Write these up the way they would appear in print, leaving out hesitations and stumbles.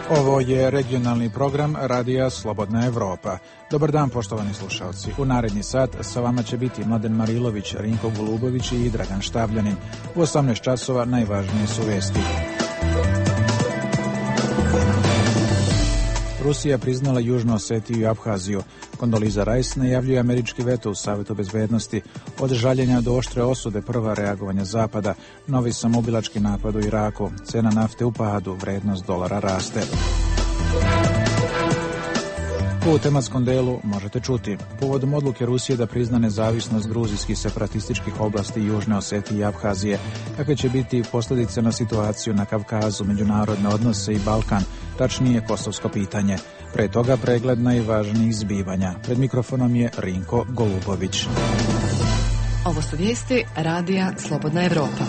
Ovo je regionalni program Radija Slobodna Evropa. Dobar dan, poštovani slušalci. U naredni sat sa vama će biti Mladen Marilović, Rinko Golubović i Dragan Štavljanin. U 18 časova najvažnije su vesti. Rusija priznala Južnu Osetiju i Abhaziju. Kondoliza Rice najavljuje američki veto u Savetu bezbednosti. Od žaljenja do oštre osude prva reagovanja Zapada. Novi samoubilački napad u Iraku. Cena nafte u padu, vrednost dolara raste. U tematskom delu možete čuti. Povodom odluke Rusije da prizna nezavisnost gruzijskih separatističkih oblasti Južne Osetije i Abhazije, kakve će biti posljedice na situaciju na Kavkazu, međunarodne odnose i Balkan, tačnije kosovsko pitanje. Pre toga pregled najvažnijih zbivanja. Pred mikrofonom je Rinko Golubović. Ovo su vijesti Radija Slobodna Evropa.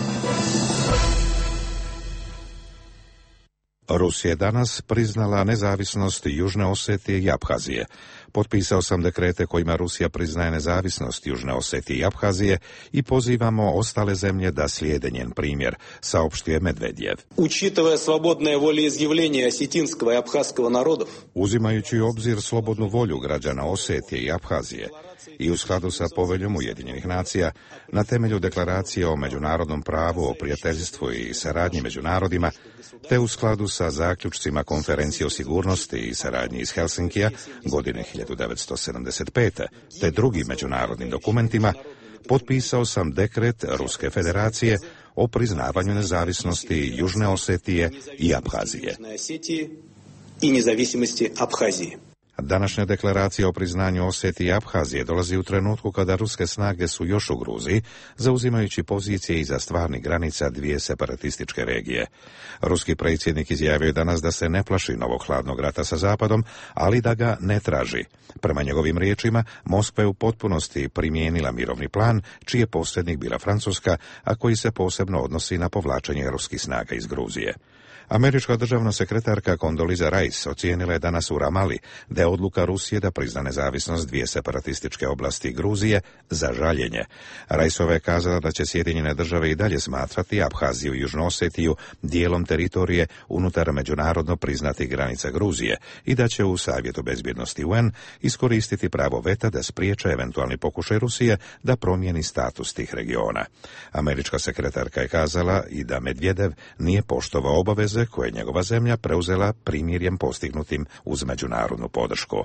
Rusija je danas priznala nezavisnost Južne Osetije i Abhazije. Potpisao sam dekrete kojima Rusija priznaje nezavisnost Južne Osetije i Abhazije i pozivamo ostale zemlje da slijede njen primjer, saopštio je Medvedjev. Учитывая свободное волеизъявление осетинского и абхазского народов, uzimajući u obzir slobodnu volju građana Osetije i Abhazije i u skladu sa poveljom Ujedinjenih nacija, na temelju deklaracije o međunarodnom pravu, o prijateljstvu i saradnji među narodima, te u skladu sa zaključcima Konferencije o sigurnosti i saradnji iz Helsinkija godine 1975. te drugim međunarodnim dokumentima, potpisao sam dekret Ruske federacije o priznavanju nezavisnosti Južne Osetije i Abhazije. Današnja deklaracija o priznanju Osetije i Abhazije dolazi u trenutku kada ruske snage su još u Gruziji, zauzimajući pozicije iza stvarnih granica dvije separatističke regije. Ruski predsjednik izjavio je danas da se ne plaši novog hladnog rata sa Zapadom, ali da ga ne traži. Prema njegovim riječima, Moskva je u potpunosti primijenila mirovni plan, čiji je posljednik bila Francuska, a koji se posebno odnosi na povlačenje ruskih snaga iz Gruzije. Američka državna sekretarka Kondoliza Rice ocijenila je danas u Ramali da je odluka Rusije da prizna nezavisnost dvije separatističke oblasti Gruzije za žaljenje. Riceova je kazala da će Sjedinjene države i dalje smatrati Abhaziju i Južnu Osetiju dijelom teritorije unutar međunarodno priznatih granica Gruzije i da će u Savjetu bezbjednosti UN iskoristiti pravo veta da spriječe eventualni pokušaj Rusije da promijeni status tih regiona. Američka sekretarka je kazala i da Medvedev nije poštovao obaveze koje je njegova zemlja preuzela primirjem postignutim uz međunarodnu podršku.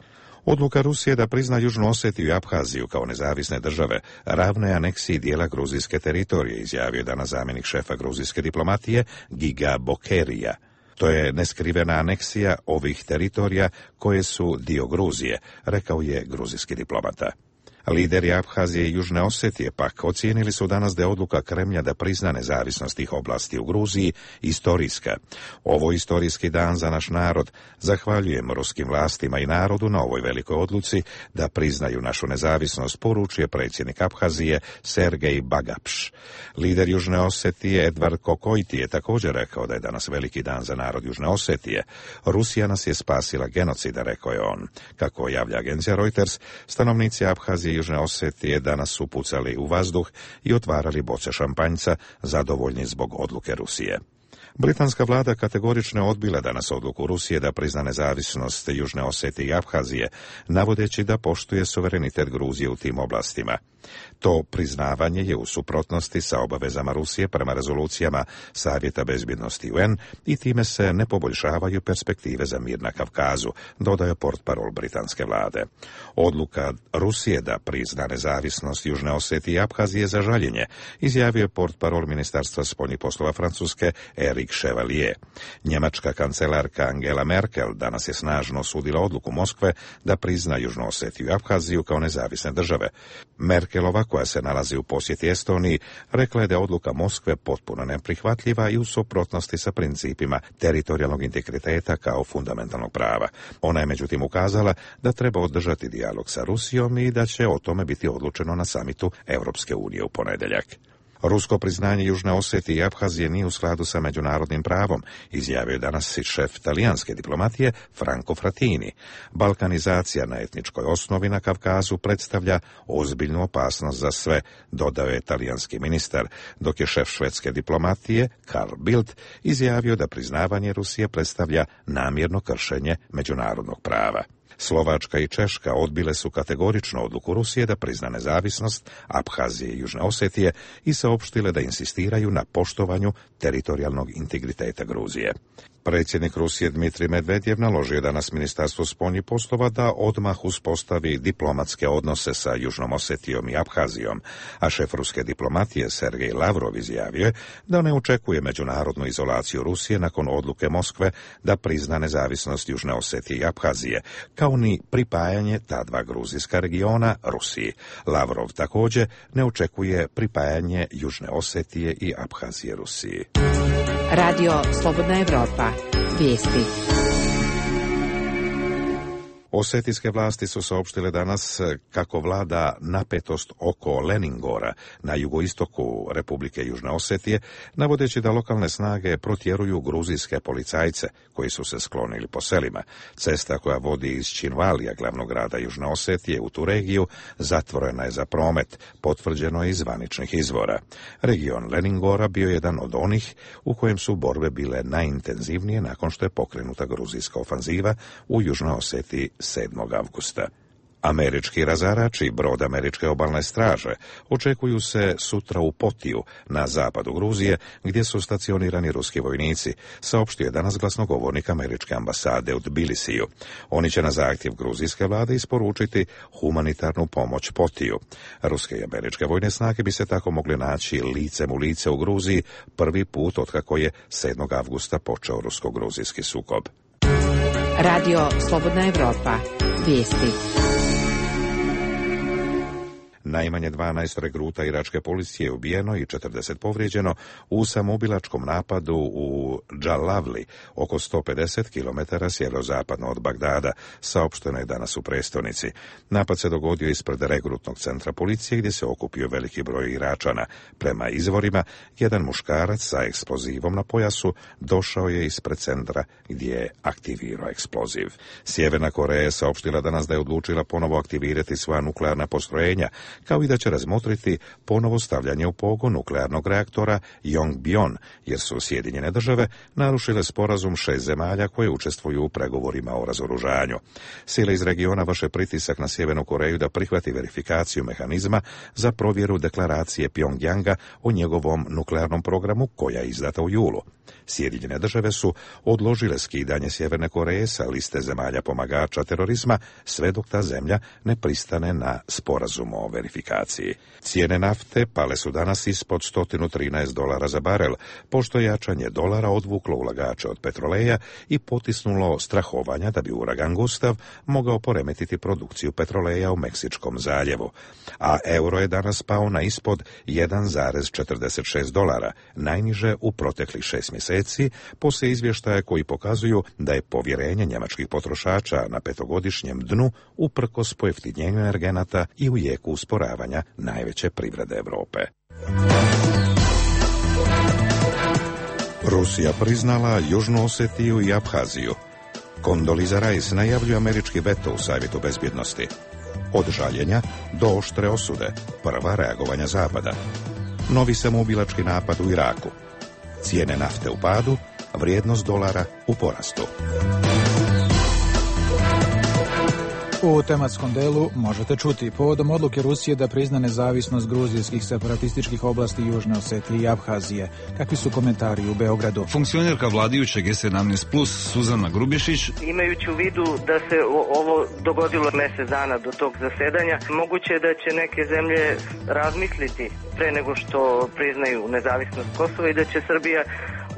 Odluka Rusije da prizna Južnu Osetiju i Abhaziju kao nezavisne države ravno je aneksiji dijela gruzijske teritorije, izjavio je danas zamjenik šefa gruzijske diplomatije Giga Bokerija. To je neskrivena aneksija ovih teritorija koje su dio Gruzije, rekao je gruzijski diplomata. Lideri Abhazije i Južne Osetije pak ocijenili su danas da je odluka Kremlja da prizna nezavisnost tih oblasti u Gruziji istorijska. Ovo je istorijski dan za naš narod. Zahvaljujem ruskim vlastima i narodu na ovoj velikoj odluci da priznaju našu nezavisnost, poručuje predsjednik Abhazije Sergej Bagapš. Lider Južne Osetije Edvard Kokojti je također rekao da je danas veliki dan za narod Južne Osetije. Rusija nas je spasila genocida, rekao je on. Kako javlja agencija Reuters, stanovnici Abhazije Južne Osetije danas su pucali u vazduh i otvarali boce šampanjca, zadovoljni zbog odluke Rusije. Britanska vlada kategorično je odbila danas odluku Rusije da prizna nezavisnost Južne Osetije i Abhazije, navodeći da poštuje suverenitet Gruzije u tim oblastima. To priznavanje je u suprotnosti sa obavezama Rusije prema rezolucijama Savjeta bezbjednosti UN i time se ne poboljšavaju perspektive za mir na Kavkazu, dodaje portparol britanske vlade. Odluka Rusije da prizna nezavisnost Južne Osetije i Abhazije za žaljenje, izjavio je portparol Ministarstva spoljnih poslova Francuske Eric Chevalier. Njemačka kancelarka Angela Merkel danas je snažno osudila odluku Moskve da prizna Južnu Osetiju i Abhaziju kao nezavisne države. Merkelova, koja se nalazi u posjeti Estoniji, rekla je da je odluka Moskve potpuno neprihvatljiva i u suprotnosti sa principima teritorijalnog integriteta kao fundamentalnog prava. Ona je međutim ukazala da treba održati dijalog sa Rusijom i da će o tome biti odlučeno na samitu Europske unije u ponedjeljak. Rusko priznanje Južne Osetije i Abhazije nije u skladu sa međunarodnim pravom, izjavio je danas i šef talijanske diplomatije Franco Frattini. Balkanizacija na etničkoj osnovi na Kavkazu predstavlja ozbiljnu opasnost za sve, dodao je talijanski ministar, dok je šef švedske diplomatije Carl Bildt izjavio da priznavanje Rusije predstavlja namjerno kršenje međunarodnog prava. Slovačka i Češka odbile su kategorično odluku Rusije da prizna nezavisnost Abhazije i Južne Osetije i saopštile da insistiraju na poštovanju teritorijalnog integriteta Gruzije. Predsjednik Rusije Dmitrij Medvedjev naložio je danas Ministarstvu spoljnih poslova da odmah uspostavi diplomatske odnose sa Južnom Osetijom i Abhazijom, a šef ruske diplomatije Sergej Lavrov izjavio je da ne očekuje međunarodnu izolaciju Rusije nakon odluke Moskve da prizna nezavisnost Južne Osetije i Abhazije, kao ni pripajanje ta dva gruzijska regiona Rusiji. Lavrov također ne očekuje pripajanje Južne Osetije i Abhazije Rusiji. Radio Slobodna Evropa. Vijesti. Osetijske vlasti su saopštile danas kako vlada napetost oko Leningora na jugoistoku Republike Južne Osetije, navodeći da lokalne snage protjeruju gruzijske policajce koji su se sklonili po selima. Cesta koja vodi iz Činvalija, glavnog grada Južne Osetije, u tu regiju zatvorena je za promet, potvrđeno je iz zvaničnih izvora. Region Leningora bio jedan od onih u kojem su borbe bile najintenzivnije nakon što je pokrenuta gruzijska ofanziva u Južnoj Osetiji 7. avgusta. Američki razarač i brod američke obalne straže očekuju se sutra u Potiju, na zapadu Gruzije, gdje su stacionirani ruski vojnici, saopštio je danas glasnogovornik američke ambasade u Tbilisiju. Oni će na zahtjev gruzijske vlade isporučiti humanitarnu pomoć Potiju. Ruske i američke vojne snage bi se tako mogli naći licem u lice u Gruziji prvi put otkako je 7. avgusta počeo rusko-gruzijski sukob. Radio Slobodna Evropa. Vijesti. Najmanje 12 regruta iračke policije je ubijeno i 40 povrijeđeno u samoubilačkom napadu u Džalavli, oko 150 km sjeverozapadno od Bagdada, saopšteno je danas u prestonici. Napad se dogodio ispred regrutnog centra policije gdje se okupio veliki broj Iračana. Prema izvorima, jedan muškarac sa eksplozivom na pojasu došao je ispred centra gdje je aktivirao eksploziv. Sjeverna Koreja je saopštila danas da je odlučila ponovo aktivirati svoja nuklearna postrojenja, kao i da će razmotriti ponovo stavljanje u pogon nuklearnog reaktora Yongbyon, jer su Sjedinjene države narušile sporazum 6 zemalja koje učestvuju u pregovorima o razoružanju. Sile iz regiona vrše pritisak na Sjevernu Koreju da prihvati verifikaciju mehanizma za provjeru deklaracije Pjongjanga o njegovom nuklearnom programu koja je izdata u julu. Sjedinjene države su odložile skidanje Sjeverne Koreje sa liste zemalja pomagača terorizma sve dok ta zemlja ne pristane na sporazum o verifikaciji. Cijene nafte pale su danas ispod $113 za barel, pošto jačanje dolara odvuklo ulagače od petroleja i potisnulo strahovanja da bi uragan Gustav mogao poremetiti produkciju petroleja u Meksičkom zaljevu. A euro je danas pao na ispod $1,46, najniže u proteklih 6 mjeseci, poslije izvještaja koji pokazuju da je povjerenje njemačkih potrošača na 5-godišnjem dnu uprkos pojeftinjenju energenata i u jeku usporavanja najveće privrede Europe. Rusija priznala Južnu Osetiju i Abhaziju. Condoleezza Rice najavljuje američki veto u Savjetu bezbjednosti. Od žaljenja do oštre osude, prva reagovanja Zapada. Novi samoubilački napad u Iraku. Cijene nafte u padu, vrijednost dolara u porastu. U tematskom delu možete čuti povodom odluke Rusije da prizna nezavisnost gruzijskih separatističkih oblasti Južne Osetije i Abhazije. Kakvi su komentari u Beogradu? Funkcionerka vladajućeg G17+, Suzana Grubišić. Imajući u vidu da se ovo dogodilo mjesec dana do tog zasedanja, moguće je da će neke zemlje razmisliti pre nego što priznaju nezavisnost Kosova i da će Srbija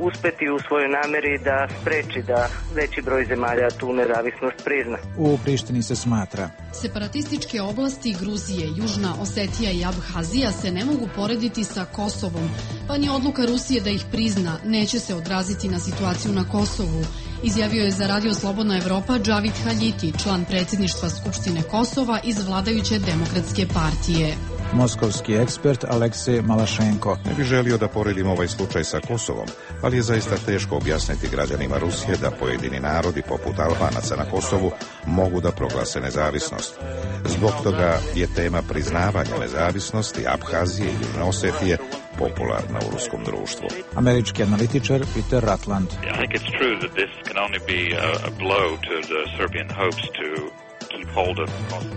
uspeti u svojoj namjeri da spreči da veći broj zemalja tu nezavisnost prizna. U Prištini se smatra: separatističke oblasti Gruzije, Južna Osetija i Abhazija se ne mogu porediti sa Kosovom, pa ni odluka Rusije da ih prizna neće se odraziti na situaciju na Kosovu, izjavio je za Radio Slobodna Evropa Džavid Haljiti, član predsjedništva Skupštine Kosova iz vladajuće Demokratske partije. Moskovski ekspert Aleksej Malašenko. Ne bi želio da poredim ovaj slučaj sa Kosovom, ali je zaista teško objasniti građanima Rusije da pojedini narodi poput Albanaca na Kosovu mogu da proglase nezavisnost. Zbog toga je tema priznavanja nezavisnosti Abhazije i Južne Osetije popularna u ruskom društvu. Američki analitičar Peter Ratland.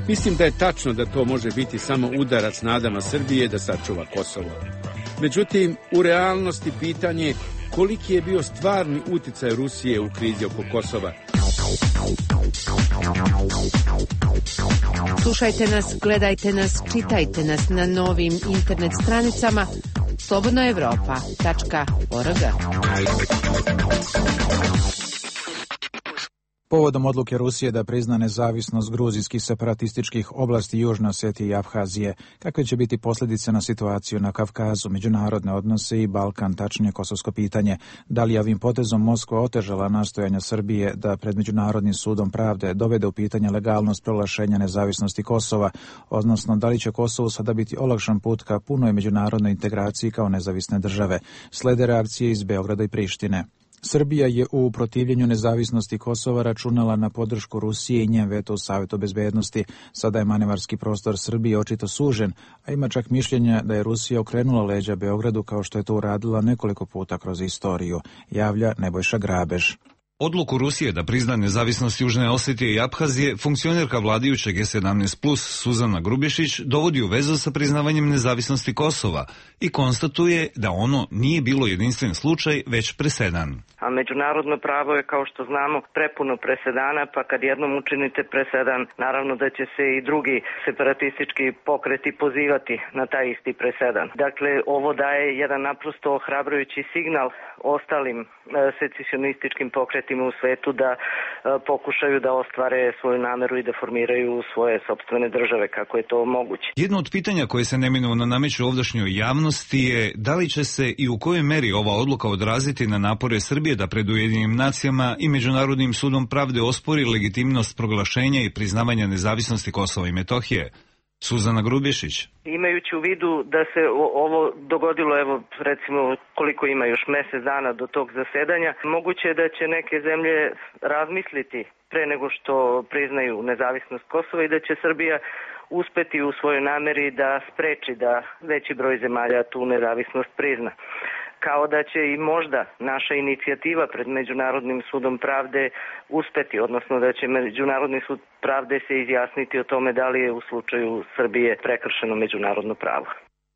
Mislim da je tačno da to može biti samo udarac nadama Srbije da sačuva Kosovo. Međutim, u realnosti pitanje je koliki je bio stvarni uticaj Rusije u krizi oko Kosova. Slušajte nas, gledajte nas, čitajte nas na novim internet stranicama slobodnaevropa.org. Povodom odluke Rusije da prizna nezavisnost gruzijskih separatističkih oblasti Južne Osetije i Abhazije, kakve će biti posljedice na situaciju na Kavkazu, međunarodne odnose i Balkan, tačnije kosovsko pitanje, da li je ovim potezom Moskva otežala nastojanja Srbije da pred Međunarodnim sudom pravde dovede u pitanje legalnost proglašenja nezavisnosti Kosova, odnosno da li će Kosovu sada biti olakšan put ka punoj međunarodnoj integraciji kao nezavisne države. Slede reakcije iz Beograda i Prištine. Srbija je u protivljenju nezavisnosti Kosova računala na podršku Rusije i njen veto u Savetu bezbednosti. Sada je manevarski prostor Srbije očito sužen, a ima čak mišljenja da je Rusija okrenula leđa Beogradu kao što je to uradila nekoliko puta kroz istoriju, javlja Nebojša Grabež. Odluku Rusije da prizna nezavisnost Južne Osetije i Abhazije, funkcionerka vladajućeg G17+ Suzana Grubješić dovodi u vezu sa priznavanjem nezavisnosti Kosova i konstatuje da ono nije bilo jedinstven slučaj, već presedan. A međunarodno pravo je, kao što znamo, prepuno presedana, pa kad jednom učinite presedan, naravno da će se i drugi separatistički pokreti pozivati na taj isti presedan. Dakle, ovo daje jedan naprosto ohrabrujući signal ostalim secesionističkim pokretima u svetu da pokušaju da ostvare svoju nameru i da formiraju svoje sopstvene države, kako je to moguće. Jedno od pitanja koje se neminovno nameće ovdašnjoj javnosti je da li će se i u kojoj meri ova odluka odraziti na napore Srbije da pred Ujedinjenim nacijama i Međunarodnim sudom pravde ospori legitimnost proglašenja i priznavanja nezavisnosti Kosova i Metohije. Suzana Grubješić. Imajući u vidu da se ovo dogodilo, evo recimo koliko ima još mjesec dana do tog zasedanja, moguće je da će neke zemlje razmisliti pre nego što priznaju nezavisnost Kosova i da će Srbija uspeti u svojoj nameri da spreči da veći broj zemalja tu nezavisnost prizna. Kao da će i možda naša inicijativa pred Međunarodnim sudom pravde uspeti, odnosno da će Međunarodni sud pravde se izjasniti o tome da li je u slučaju Srbije prekršeno međunarodno pravo.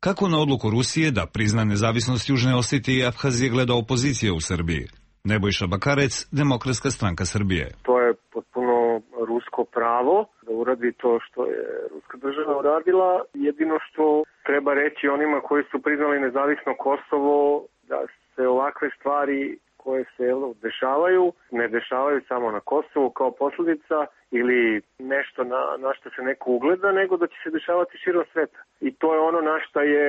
Kako na odluku Rusije da prizna nezavisnost Južne Osetije i Abhazije gleda opozicija u Srbiji? Nebojša Bakarec, Demokratska stranka Srbije. To je potpuno rusko pravo da uradi to što je ruska država uradila. Jedino što treba reći onima koji su priznali nezavisno Kosovo, da se ovakve stvari koje se dešavaju, ne dešavaju samo na Kosovu kao posljedica ili nešto na što se neko ugleda, nego da će se dešavati širom sveta. I to je ono na što je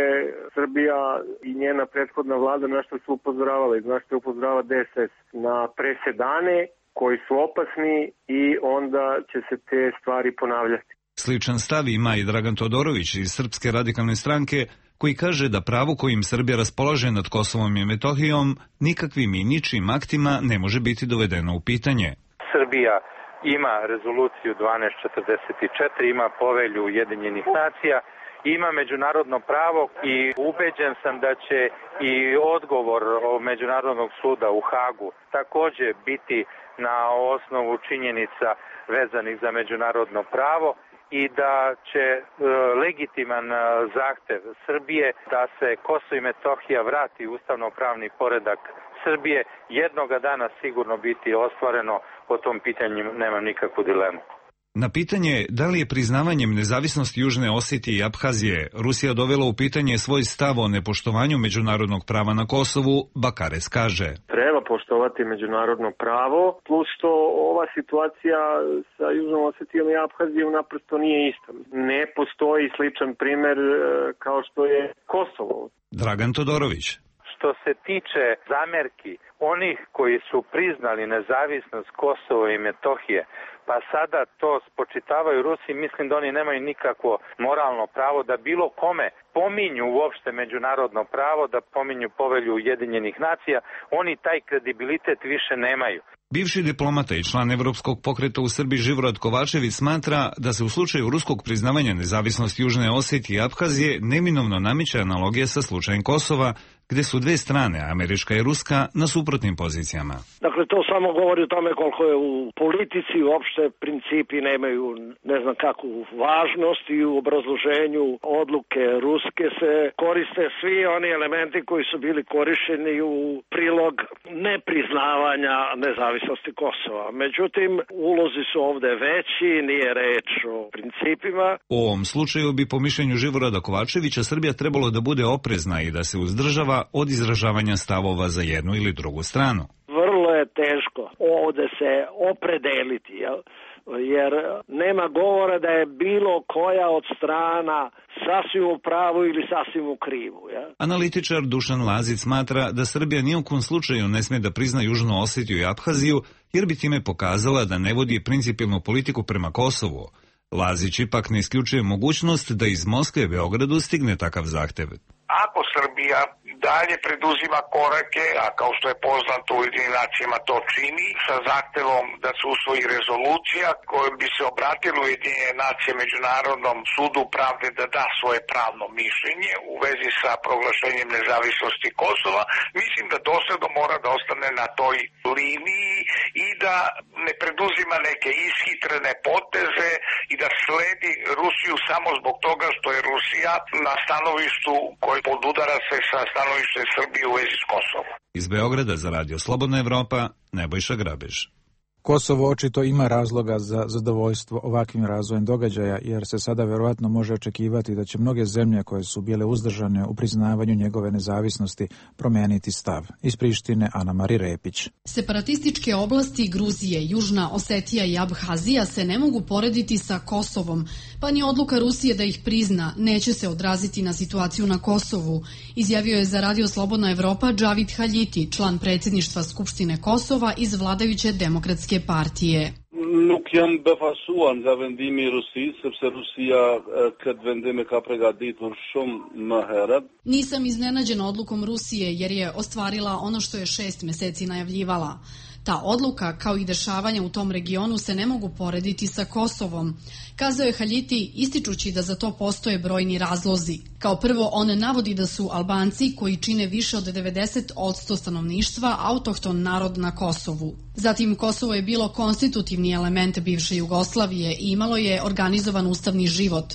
Srbija i njena prethodna vlada, na što su upozoravali, na što je upozorava DSS, na presedane koji su opasni i onda će se te stvari ponavljati. Sličan stav ima i Dragan Todorović iz Srpske radikalne stranke, koji kaže da pravo kojim Srbija raspolaže nad Kosovom i Metohijom nikakvim i ničim aktima ne može biti dovedeno u pitanje. Srbija ima rezoluciju 1244, ima povelju Ujedinjenih nacija, ima međunarodno pravo i ubeđen sam da će i odgovor Međunarodnog suda u Hagu također biti na osnovu činjenica vezanih za međunarodno pravo i da će legitiman zahtev Srbije da se Kosovo i Metohija vrati u ustavno-pravni poredak Srbije jednoga dana sigurno biti ostvareno. Po tom pitanju nema nikakvu dilemu. Na pitanje da li je priznavanjem nezavisnosti Južne Osetije i Abhazije Rusija dovela u pitanje svoj stav o nepoštovanju međunarodnog prava na Kosovu, Bakarec kaže: Treba poštovati međunarodno pravo, plus što ova situacija sa Južnom Osetijom i Abhazijom naprosto nije ista. Ne postoji sličan primjer kao što je Kosovo. Dragan Todorović. Što se tiče zamerki onih koji su priznali nezavisnost Kosova i Metohije, pa sada to spočitavaju Rusiji, mislim da oni nemaju nikakvo moralno pravo da bilo kome pominju uopšte međunarodno pravo, da pominju povelju Ujedinjenih nacija, oni taj kredibilitet više nemaju. Bivši diplomata i član Evropskog pokreta u Srbiji Živorad Kovačević smatra da se u slučaju ruskog priznavanja nezavisnosti Južne Osetije i Aphazije neminovno nameće analogija sa slučajem Kosova, gde su dve strane, američka i ruska, na suprotnim pozicijama. Dakle, to samo govori o tome koliko je u politici uopšte principi nemaju ne znam kakvu važnost i u obrazloženju odluke ruske se koriste svi oni elementi koji su bili korišćeni u prilog nepriznavanja nezavisnosti Kosova. Međutim, ulozi su ovde veći, nije reč o principima. U ovom slučaju bi po mišljenju Živorada Kovačevića Srbija trebalo da bude oprezna i da se uzdržava od izražavanja stavova za jednu ili drugu stranu. Vrlo je teško ovde se opredeliti, jer nema govora da je bilo koja od strana sasvim u pravu ili sasvim u krivu. Analitičar Dušan Lazić smatra da Srbija ni u kom slučaju ne sme da prizna Južnu Osetiju i Aphaziju, jer bi time pokazala da ne vodi principijelnu politiku prema Kosovu. Lazić ipak ne isključuje mogućnost da iz Moskve Beogradu stigne takav zahtev. Ako Srbija dalje preduzima korake, a kao što je poznato u Ujedinjenim nacijama to čini, sa zahtevom da se usvoji rezolucija kojom bi se obratilo Ujedinjene nacije Međunarodnom sudu pravde da da svoje pravno mišljenje u vezi sa proglašenjem nezavisnosti Kosova, mislim da dosledno mora da ostane na toj liniji i da ne preduzima neke ishitrene poteze i da sledi Rusiju samo zbog toga što je Rusija na stanovištu koji podudara se sa stanovište Srbije u vezi s Kosovom. Iz Beograda za Radio Slobodna Evropa, Nebojša Grabež. Kosovo očito ima razloga za zadovoljstvo ovakvim razvojem događaja, jer se sada verovatno može očekivati da će mnoge zemlje koje su bile uzdržane u priznavanju njegove nezavisnosti promeniti stav. Iz Prištine Ana Mari Repić. Separatističke oblasti Gruzije, Južna Osetija i Abhazija se ne mogu porediti sa Kosovom, pa ni odluka Rusije da ih prizna neće se odraziti na situaciju na Kosovu, izjavio je za Radio Slobodna Evropa Džavid Haljiti, član predsjedništva Skupštine Kosova iz vladajuće demokratske partije. Nuk jam befasuar nga vendimi i Rusisë, sepse Rusia këtë vendim e ka përgatitur shumë më herët. Nisam iznenađen odlukom Rusije jer je ostvarila ono što je 6 meseci najavljivala. Ta odluka, kao i dešavanja u tom regionu, se ne mogu porediti sa Kosovom, kazao je Haljiti, ističući da za to postoje brojni razlozi. Kao prvo, on navodi da su Albanci, koji čine više od 90% stanovništva, autohton narod na Kosovu. Zatim, Kosovo je bilo konstitutivni element bivše Jugoslavije i imalo je organizovan ustavni život.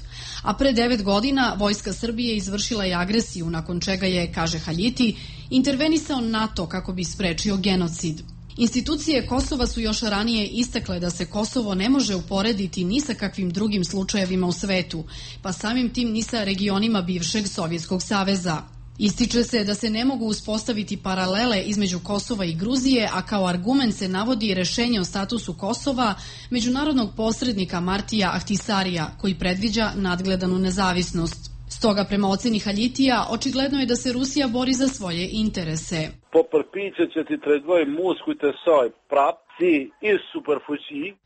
A pre 9 godina vojska Srbije izvršila je agresiju, nakon čega je, kaže Haljiti, intervenisao NATO kako bi sprečio genocid. Institucije Kosova su još ranije istakle da se Kosovo ne može uporediti ni sa kakvim drugim slučajevima u svetu, pa samim tim ni sa regionima bivšeg Sovjetskog saveza. Ističe se da se ne mogu uspostaviti paralele između Kosova i Gruzije, a kao argument se navodi rešenje o statusu Kosova međunarodnog posrednika Martija Ahtisarija, koji predviđa nadgledanu nezavisnost. Stoga, prema oceni Haljitija, očigledno je da se Rusija bori za svoje interese.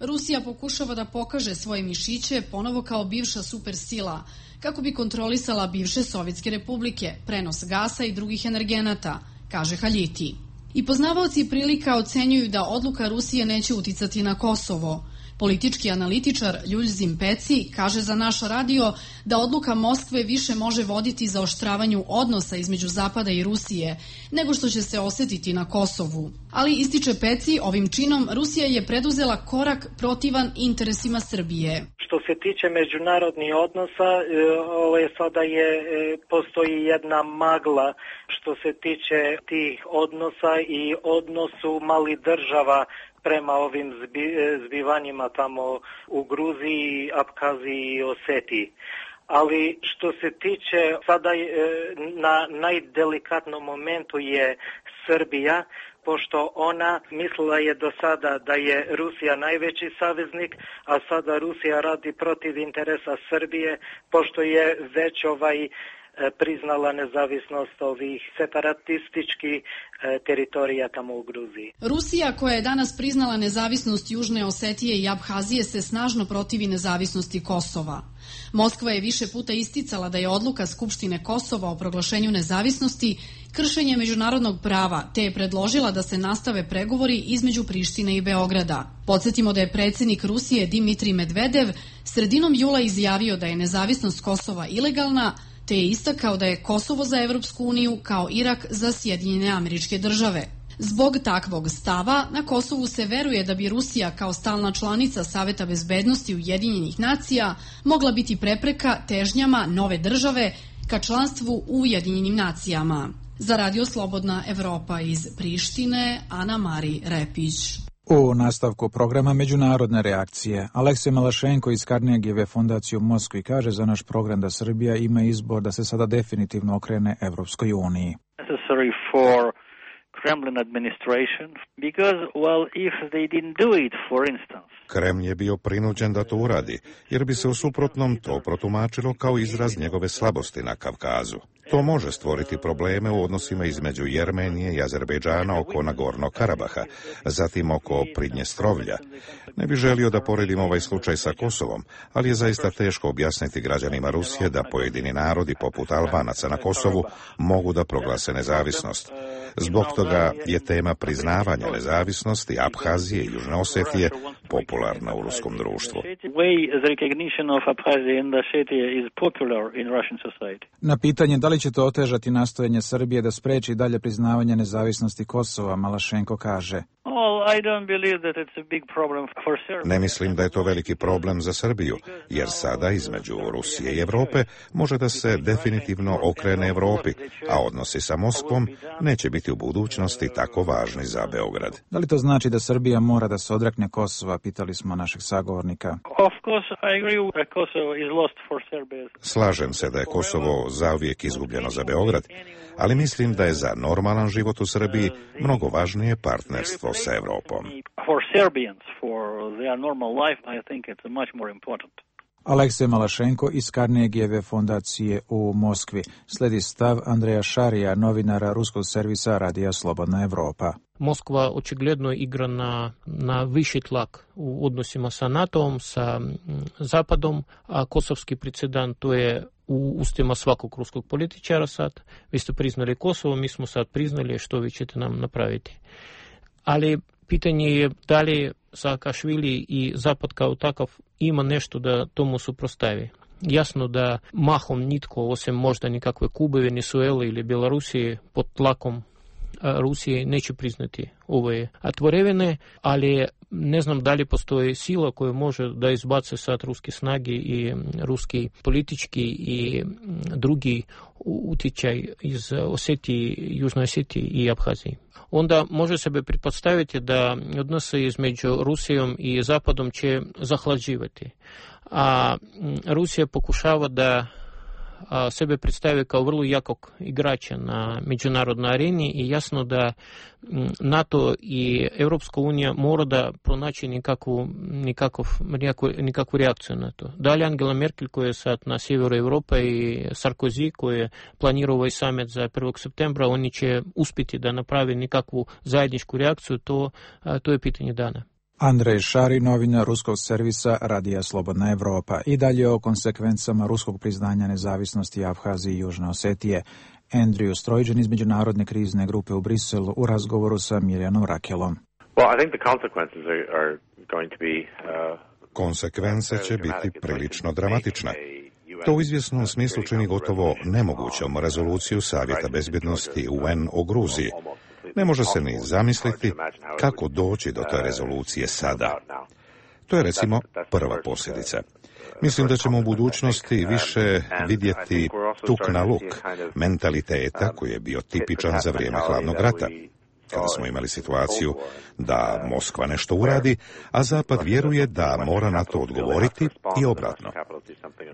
Rusija pokušava da pokaže svoje mišiće ponovo kao bivša supersila, kako bi kontrolisala bivše sovjetske republike, prenos gasa i drugih energenata, kaže Haljiti. I poznavaoci prilika ocenjuju da odluka Rusije neće uticati na Kosovo. Politički analitičar Ljuljzim Peci kaže za naš radio da odluka Moskve više može voditi zaoštravanju odnosa između Zapada i Rusije, nego što će se osetiti na Kosovu. Ali, ističe Peci, ovim činom Rusija je preduzela korak protivan interesima Srbije. Što se tiče međunarodnih odnosa, sada postoji jedna magla što se tiče tih odnosa i odnosu malih država prema ovim zbivanjima tamo u Gruziji, Apkaziji i Osetiji. Ali što se tiče, sada na najdelikatnom momentu je Srbija, pošto ona mislila je do sada da je Rusija najveći saveznik, a sada Rusija radi protiv interesa Srbije, pošto je već priznala nezavisnost ovih separatističkih teritorija tamo u Gruziji. Rusija, koja je danas priznala nezavisnost Južne Osetije i Abhazije, se snažno protivi nezavisnosti Kosova. Moskva je više puta isticala da je odluka Skupštine Kosova o proglašenju nezavisnosti kršenje međunarodnog prava, te je predložila da se nastave pregovori između Prištine i Beograda. Podsjetimo da je predsjednik Rusije Dimitrij Medvedev sredinom jula izjavio da je nezavisnost Kosova ilegalna, te je istakao da je Kosovo za Evropsku uniju kao Irak za Sjedinjene Američke Države. Zbog takvog stava, na Kosovu se veruje da bi Rusija kao stalna članica Saveta bezbednosti Ujedinjenih nacija mogla biti prepreka težnjama nove države ka članstvu u Ujedinjenim nacijama. Za Radio Slobodna Evropa iz Prištine, Ana Mari Repić. U nastavku programa Međunarodne reakcije, Aleksej Malašenko iz Carnegieve fondacije u Moskvi kaže za naš program da Srbija ima izbor da se sada definitivno okrene Evropskoj uniji. Kremlin administration because, well, if they didn't do it, for instance. Kreml je bio prinuđen da to uradi, jer bi se u suprotnom to protumačilo kao izraz njegove slabosti na Kavkazu. To može stvoriti probleme u odnosima između Jermenije i Azerbejdžana oko Nagornog Karabaha, zatim oko Pridnjestrovlja. Ne bih želio da poredim ovaj slučaj sa Kosovom, ali je zaista teško objasniti građanima Rusije da pojedini narodi poput Albanaca na Kosovu mogu da proglase nezavisnost. Zbog toga je tema priznavanja nezavisnosti Abhazije i Južne Osetije popularna u ruskom društvu. Na pitanje da li će to otežati nastojanje Srbije da spreči dalje priznavanje nezavisnosti Kosova, Malašenko kaže: Ne mislim da je to veliki problem za Srbiju, jer sada između Rusije i Evrope može da se definitivno okrene Evropi, a odnosi sa Moskvom neće biti u budućnosti tako važni za Beograd. Da li to znači da Srbija mora da se odrekne Kosova, pitali smo našeg sagovornika. Slažem se da je Kosovo zauvijek izgubljeno za Beograd, ali mislim da je za normalan život u Srbiji mnogo važnije partnerstvo sa Evropom. Aleksej Malašenko iz Carnegieve fondacije u Moskvi. Sledi stav Andreja Šarija, novinara ruskog servisa Radija Slobodna Evropa. Moskva očigledno igra na viši tlak u odnosima sa NATO-om, sa Zapadom, a kosovski predsjedant to je u ustima svakog ruskog političara sad. Vi ste priznali Kosovo, mi smo sad priznali, što vi ćete nam napraviti. Ali pitanje je da li Saakašvili i Zapad kao takav ima nešto da tomu suprotstavi. Jasno da mahom nitko, osim možda nikakve Kube, Venezuele ili Bjelorusije, pod tlakom Rusije neće priznati ove tvorevine, ali ne znam da li postoji sila koja može da izbace sad ruske snage i ruski politički i drugi utjecaj iz Osetije, Južnoj Osetiji i Abhaziji. Onda može sebe pretpostaviti da odnose između Rusijom i Zapadom će zahlađivati. A Rusija pokušava da sebe predstavi kao vrlo jakog igrača na međunarodnoj areni i jasno da NATO i Europska unija mora da pronaći nikakvu reakciju na to. Dalje Angela Merkel koja je sad na sjeveru Europe i Sarkozy koji je planirao ovaj summit za 1. septembra, oni će uspjeti da napravi nikakvu zajedničku reakciju, to je pitanje dana. Andrej Šari, novinar ruskog servisa Radija Slobodna Evropa. I dalje o konsekvencama ruskog priznanja nezavisnosti Abhazije i Južne Osetije. Andrew Strojđan iz Međunarodne krizne grupe u Briselu u razgovoru sa Mirjanom Rakelom. Konsekvence će biti prilično dramatične. To u izvjesnom smislu čini gotovo nemogućom rezoluciju Savjeta bezbjednosti UN o Gruziji. Ne može se ni zamisliti kako doći do te rezolucije sada. To je recimo prva posljedica. Mislim da ćemo u budućnosti više vidjeti tuk na luk mentaliteta koji je bio tipičan za vrijeme hladnog rata, kada smo imali situaciju da Moskva nešto uradi, a Zapad vjeruje da mora na to odgovoriti i obratno.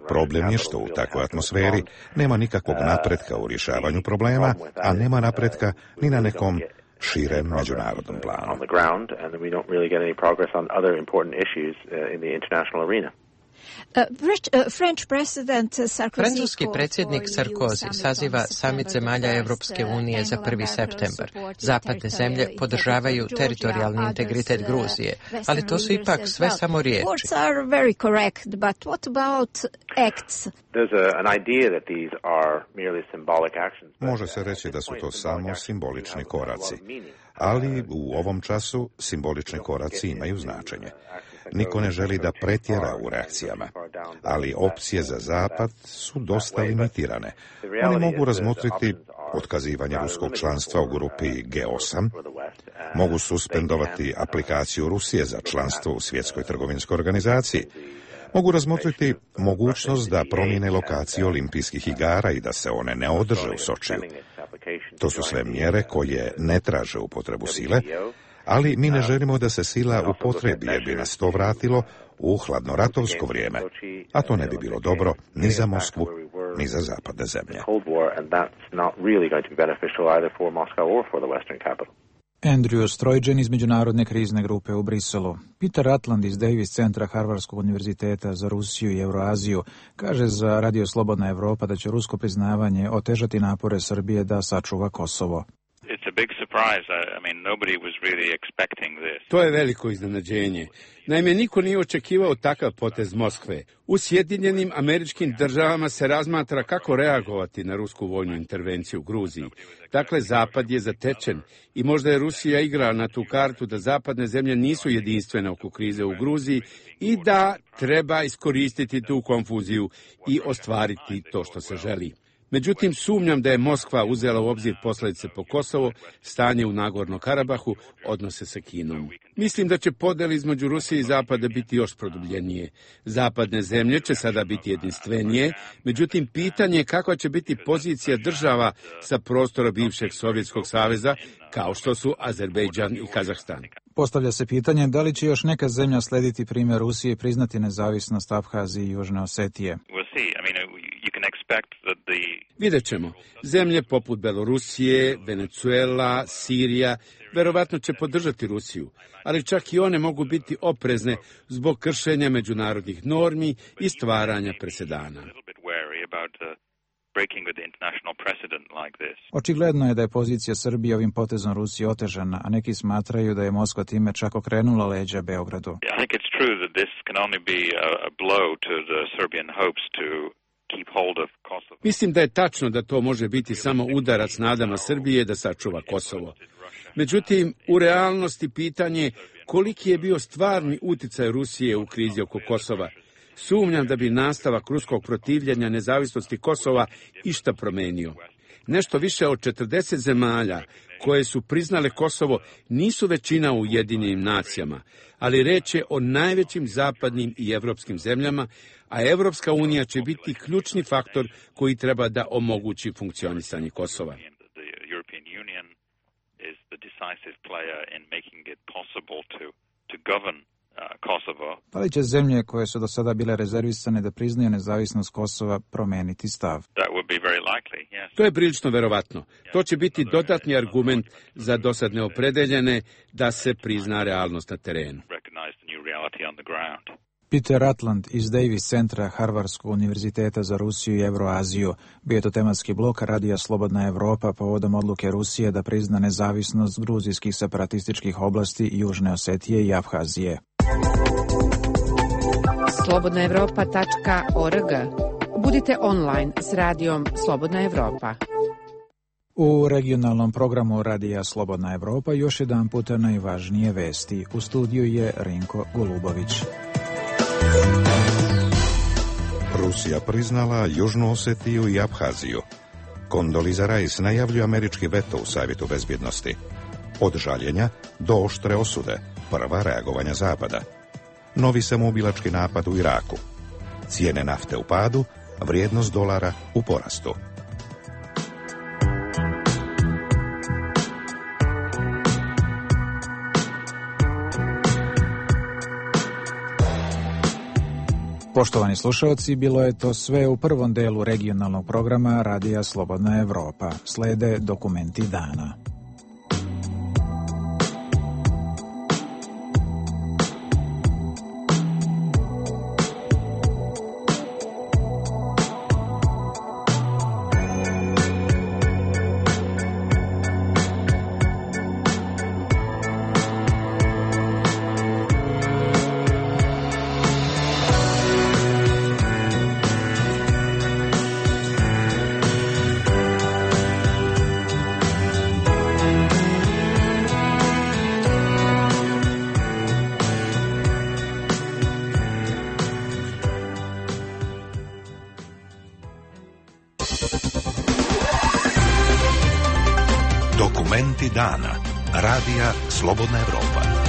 Problem je što u takvoj atmosferi nema nikakvog napretka u rješavanju problema, a nema napretka ni na nekom širem međunarodnom planu. Francuski predsjednik Sarkozy saziva samit zemalja Evropske unije za 1. septembar. Zapadne zemlje podržavaju teritorijalni integritet Gruzije, ali to su ipak sve samo riječi. Može se reći da su to samo simbolični koraci, ali u ovom času simbolični koraci imaju značenje. Niko ne želi da pretjera u reakcijama, ali opcije za Zapad su dosta limitirane. Oni mogu razmotriti otkazivanje ruskog članstva u grupi G8, mogu suspendovati aplikaciju Rusije za članstvo u Svjetskoj trgovinskoj organizaciji, mogu razmotriti mogućnost da promijene lokaciju olimpijskih igara i da se one ne održe u Sočiju. To su sve mjere koje ne traže upotrebu sile, ali mi ne želimo da se sila upotrebi jer bi nas to vratilo u hladnoratovsko vrijeme, a to ne bi bilo dobro ni za Moskvu, ni za zapadne zemlje. Andrew Stroiđen iz Međunarodne krizne grupe u Briselu. Peter Atland iz Davis centra Harvardskog univerziteta za Rusiju i Euroaziju kaže za Radio Slobodna Evropa da će rusko priznavanje otežati napore Srbije da sačuva Kosovo. To je veliko iznenađenje. Naime, niko nije očekivao takav potez Moskve. U Sjedinjenim Američkim Državama se razmatra kako reagovati na rusku vojnu intervenciju u Gruziji. Dakle, Zapad je zatečen i možda je Rusija igrala na tu kartu da zapadne zemlje nisu jedinstvene oko krize u Gruziji i da treba iskoristiti tu konfuziju i ostvariti to što se želi. Međutim, sumnjam da je Moskva uzela u obzir posljedice po Kosovo, stanje u Nagorno-Karabahu, odnose sa Kinom. Mislim da će podjele između Rusije i Zapada biti još produbljenije. Zapadne zemlje će sada biti jedinstvenije, međutim, pitanje je kakva će biti pozicija država sa prostora bivšeg Sovjetskog saveza, kao što su Azerbejdžan i Kazahstan. Postavlja se pitanje da li će još neka zemlja slediti primjer Rusije i priznati nezavisnost Abhazije i Južne Osetije. Vidjet ćemo. Zemlje poput Belorusije, Venezuela, Sirija, verovatno će podržati Rusiju, ali čak i one mogu biti oprezne zbog kršenja međunarodnih normi i stvaranja presedana. Očigledno je da je pozicija Srbije ovim potezom Rusije otežana, a neki smatraju da je Moskva time čak okrenula leđa Beogradu. Mislim da je tačno da to može biti samo udarac nadama Srbije da sačuva Kosovo. Međutim, u realnosti pitanje koliki je bio stvarni uticaj Rusije u krizi oko Kosova. Sumnjam da bi nastavak ruskog protivljenja nezavisnosti Kosova išta promenio. Nešto više od 40 zemalja koje su priznale Kosovo nisu većina u Ujedinjenim nacijama, ali reč je o najvećim zapadnim i evropskim zemljama, a Evropska unija će biti ključni faktor koji treba da omogući funkcionisanje Kosova. Da li će zemlje koje su do sada bile rezervisane da priznaju nezavisnost Kosova promeniti stav? To je prilično verovatno. To će biti dodatni argument za dosad neopredeljene da se prizna realnost na terenu. Peter Atland iz Davis centra Harvardskog univerziteta za Rusiju i Euroaziju bio je to tematski blok Radija Slobodna Evropa povodom odluke Rusije da prizna nezavisnost gruzijskih separatističkih oblasti Južne Osetije i Abhazije. slobodnaevropa.org. Budite online s radijom Slobodna Evropa. U regionalnom programu Radija Slobodna Evropa još jedan puta najvažnije vesti. U studiju je Rinko Golubović. Rusija priznala Južnu Osetiju i Abhaziju. Condoleezza Rice najavljuje američki veto u Savjetu bezbjednosti. Od žaljenja do oštre osude, prva reagovanja Zapada. Novi samoubilački napad u Iraku. Cijene nafte u padu, vrijednost dolara u porastu. Poštovani slušalci, bilo je to sve u prvom delu regionalnog programa Radija Slobodna Evropa. Slede dokumenti dana. Dokumenti dana. Radija Slobodna Evropa.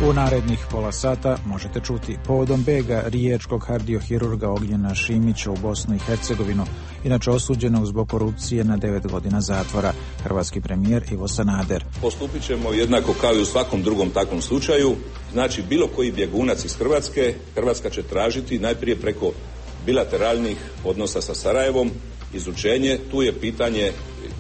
U narednih pola sata možete čuti povodom bega riječkog kardiohirurga Ognjena Šimića u Bosnu i Hercegovinu, inače osuđenog zbog korupcije na 9 godina zatvora, hrvatski premijer Ivo Sanader. Postupit ćemo jednako kao i u svakom drugom takvom slučaju. Znači, bilo koji bjegunac iz Hrvatske, Hrvatska će tražiti najprije preko bilateralnih odnosa sa Sarajevom izučenje. Tu je pitanje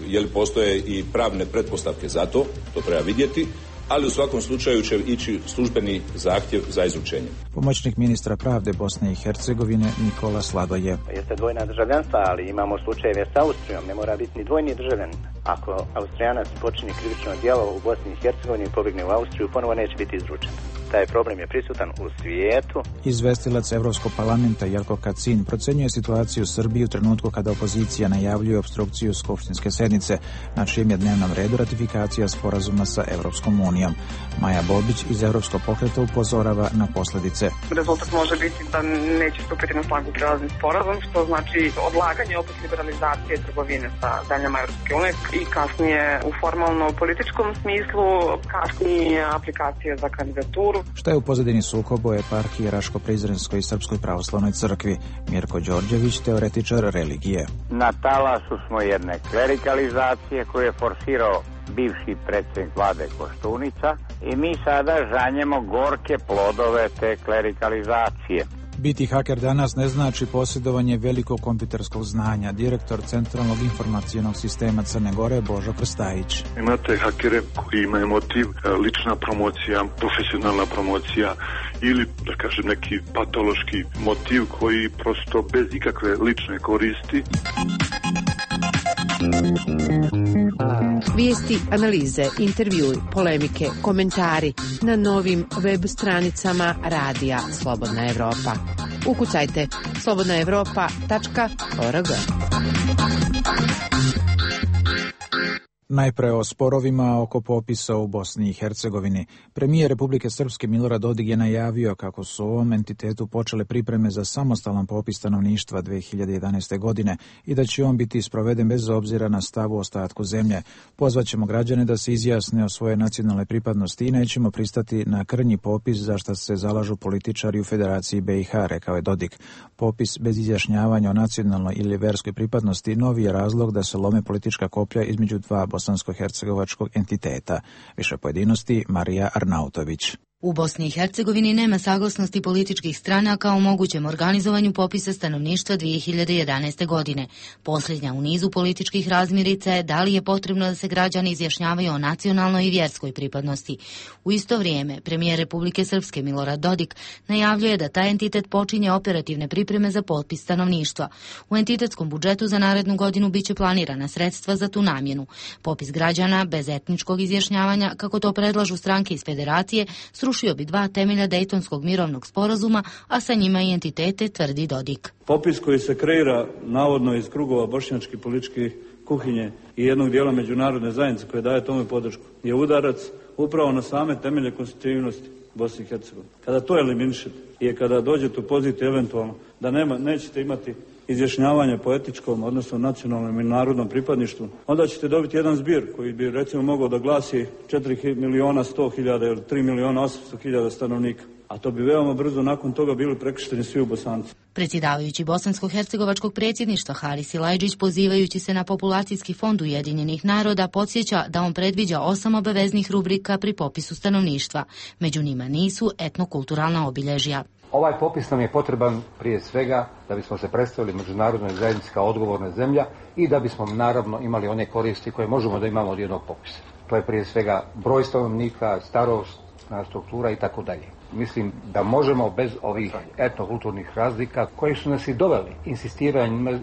je li postoje i pravne pretpostavke za to, to treba vidjeti. Ali u svakom slučaju će ići službeni zahtjev za izučenje. Pomoćnik ministra pravde Bosne i Hercegovine Nikola Sladoje. Jeste dvojna državljanstva, ali imamo slučajeve s Austrijom, ne mora biti ni dvojni državljan. Ako Austrijanac počini krivično djelo u Bosni i Hercegovini i pobjegne u Austriju, ponovo neće biti izručen. Taj problem je prisutan u svijetu. Izvestilac Evropskog parlamenta Jelko Kacin procenjuje situaciju u Srbiji u trenutku kada opozicija najavljuje opstrukciju skupštinske sednice, na čijem je dnevnom redu ratifikacija sporazuma sa Evropskom unijom. Maja Bobić iz Evropskog pokreta upozorava na posljedice. Rezultat može biti da neće stupiti na snagu prelazni sporazum, što znači odlaganje opet liberalizacije trgovine sa zemljama Evropske unije i kasnije u formalno političkom smislu kasnije aplikacije za kandidaturu. Šta je u pozadini sukoba u eparhiji Raško-Prizrenskoj i Srpskoj pravoslavnoj crkvi? Mirko Đorđević, teoretičar religije. Na talasu smo jedne klerikalizacije koju je forsirao bivši predsjednik vlade Koštunica i mi sada žanjemo gorke plodove te klerikalizacije. Biti haker danas ne znači posjedovanje velikog kompjuterskog znanja. Direktor Centralnog informacionog sistema Crne Gore Božo Krstajić. Imate hakere koji imaju motiv lična promocija, profesionalna promocija ili, da kažem, neki patološki motiv koji prosto bez ikakve lične koristi. Vijesti, analize, intervjui, polemike, komentari na novim web stranicama Radija Slobodna Evropa. Ukucajte slobodnaevropa.org. Najpre o sporovima oko popisa u Bosni i Hercegovini. Premijer Republike Srpske Milorad Dodik je najavio kako su u ovom entitetu počele pripreme za samostalan popis stanovništva 2011. godine i da će on biti sproveden bez obzira na stav u ostatku zemlje. Pozvaćemo građane da se izjasne o svoje nacionalne pripadnosti i nećemo pristati na krnji popis za što se zalažu političari u Federaciji BiH, rekao je Dodik. Popis bez izjašnjavanja o nacionalnoj ili verskoj pripadnosti novi je razlog da se lome politička koplja između dva bosansko-hercegovačkog entiteta. Više pojedinosti Marija Arnautović. U Bosni i Hercegovini nema saglasnosti političkih stranaka o mogućem organizovanju popisa stanovništva 2011. godine. Posljednja u nizu političkih razmirica je da li je potrebno da se građani izjašnjavaju o nacionalnoj i vjerskoj pripadnosti. U isto vrijeme, premijer Republike Srpske Milorad Dodik najavljuje da taj entitet počinje operativne pripreme za popis stanovništva. U entitetskom budžetu za narednu godinu biće planirana sredstva za tu namjenu. Popis građana bez etničkog izjašnjavanja, kako to predlažu stranke iz Federacije, srušio bi dva temelja Dejtonskog mirovnog sporazuma, a sa njima i entitete, tvrdi Dodik. Popis koji se kreira navodno iz krugova bošnjačke političke kuhinje i jednog dijela međunarodne zajednice koje daje tome podršku je udarac upravo na same temelje konstitutivnosti Bosne i Hercegovine. Kada to eliminišete i kada dođete u poziciju eventualno da nećete imati izjašnjavanje po etičkom, odnosno nacionalnom i narodnom pripadništvu, onda ćete dobiti jedan zbir koji bi recimo mogao da glasi 4.100.000 ili 3.800.000 stanovnika. A to bi veoma brzo nakon toga bili prekršteni svi u Bosanci. Predsjedavajući Bosansko-hercegovačkog predsjedništva Haris Silajdžić, pozivajući se na populacijski fond Ujedinjenih naroda, podsjeća da on predviđa 8 obaveznih rubrika pri popisu stanovništva. Među njima nisu etnokulturalna obilježja. Ovaj popis nam je potreban prije svega da bismo se predstavili međunarodnoj zajednici kao odgovorna zemlja i da bismo naravno imali one koristi koje možemo da imamo od jednog popisa. To je prije svega broj stanovnika, starosna struktura i tako dalje. Mislim da možemo bez ovih etnokulturnih razlika koji su nas i doveli, insistiranje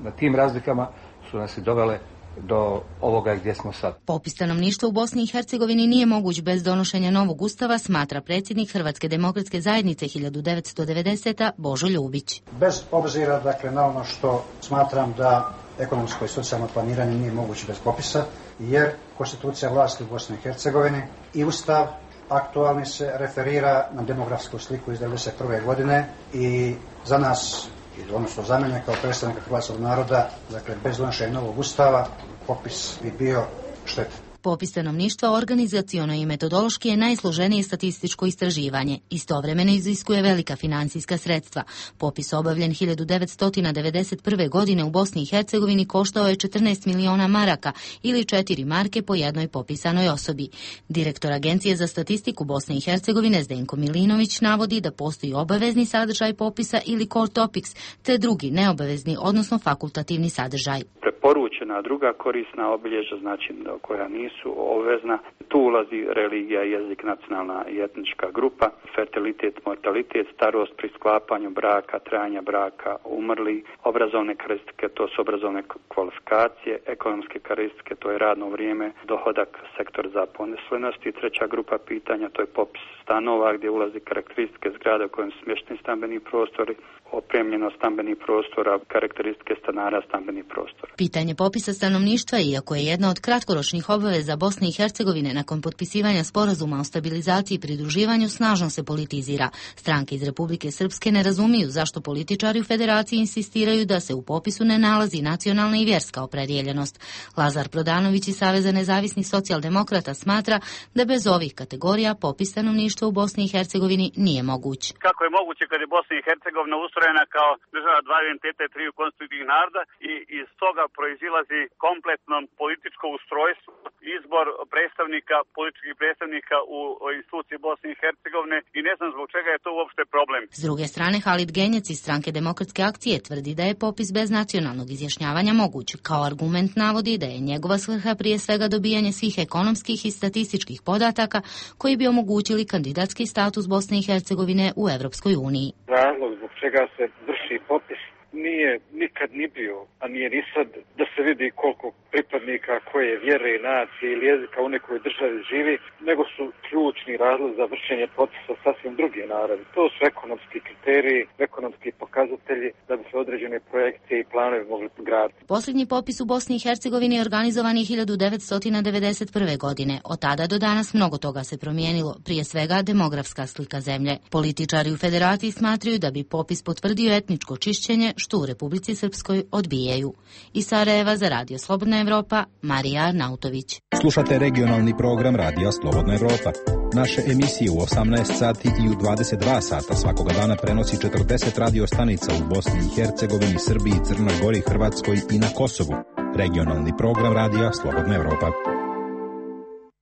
na tim razlikama su nas i dovele do ovoga gdje smo sad. Popis stanovništva u Bosni i Hercegovini nije moguć bez donošenja novog ustava, smatra predsjednik Hrvatske demokratske zajednice 1990. Božo Ljubić. Bez obzira na ono što smatram da ekonomsko i socijalno planiranje nije moguće bez popisa, jer konstitucija vlasti u Bosni i Hercegovini i Ustav aktualni se referira na demografsku sliku iz 1991. godine i za nas, odnosno za mene kao predstavnika hrvatskog naroda, dakle bez donošenja novog Ustava, popis bi bio štetan. Popis stanovništva organizaciono i metodološki je najsloženije statističko istraživanje. Istovremeno iziskuje velika financijska sredstva. Popis obavljen 1991. godine u Bosni i Hercegovini koštao je 14 miliona maraka ili 4 marke po jednoj popisanoj osobi. Direktor Agencije za statistiku Bosne i Hercegovine Zdenko Milinović navodi da postoji obavezni sadržaj popisa ili core topics, te drugi neobavezni, odnosno fakultativni sadržaj. Preporučena druga korisna obilježja, znači koja nisu obvezna, tu ulazi religija, jezik, nacionalna i etnička grupa, fertilitet, mortalitet, starost pri sklapanju braka, trajanja braka, umrli, obrazovne karakteristike, to su obrazovne kvalifikacije, ekonomske karakteristike, to je radno vrijeme, dohodak, sektor zaposlenosti. Treća grupa pitanja, to je popis stanova gdje ulazi karakteristike zgrada u kojem su smješteni stambeni prostori, opremljenost stambenih prostora, karakteristike stanara stambenih prostora. Pitanje popisa stanovništva, iako je jedna od kratkoročnih obaveza Bosne i Hercegovine nakon potpisivanja sporazuma o stabilizaciji i pridruživanju, snažno se politizira. Stranke iz Republike Srpske ne razumiju zašto političari u federaciji insistiraju da se u popisu ne nalazi nacionalna i vjerska opredjeljenost. Lazar Prodanović iz Saveza nezavisnih socijaldemokrata smatra da bez ovih kategorija popis stanovništva u Bosni i Hercegovini nije moguć. Kako je moguće kad je Bosna i Hercegovina ustrojena kao država dva identiteta i triju konstitutivnih naroda i iz toga proizilazi kompletno političko ustrojstvo, izbor predstavnika, političkih predstavnika u instituciji Bosne i Hercegovine i ne znam zbog čega je to uopšte problem. S druge strane, Halid Genjec iz Stranke demokratske akcije tvrdi da je popis bez nacionalnog izjašnjavanja moguć. Kao argument navodi da je njegova svrha prije svega dobijanje svih ekonomskih i statističkih podataka koji bi omogućili kandidatski status Bosne i Hercegovine u Europskoj uniji. Razlog zbog čega se vrši popis nije nikad ni bio, a nije ni sad, da se vidi koliko pripadnika koje vjere, nacije ili jezika u nekoj državi živi, nego su ključni razlog za vršenje popisa sasvim druge naravi. To su ekonomski kriteriji, ekonomski pokazatelji da bi se određene projekte i planovi mogli graditi. Posljednji popis u Bosni i Hercegovini organizovan je 1991. godine. Od tada do danas mnogo toga se promijenilo, prije svega demografska slika zemlje. Političari u federaciji smatraju da bi popis potvrdio etničko čišćenje, što u Republici Srpskoj odbijaju. Iz Sarajeva za Radio Slobodna Evropa, Marija Arnautović. Slušate regionalni program Radija Slobodna Evropa. Naše emisije u 18 sati i u 22 sata svakoga dana prenosi 40 radio stanica u Bosni i Hercegovini, Srbiji, Crnoj Gori, Hrvatskoj i na Kosovu. Regionalni program Radija Slobodna Evropa.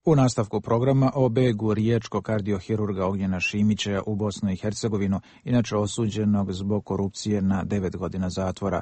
U nastavku programa o begu riječkog kardiohirurga Ognjena Šimića u Bosnu i Hercegovinu, inače osuđenog zbog korupcije na 9 godina zatvora.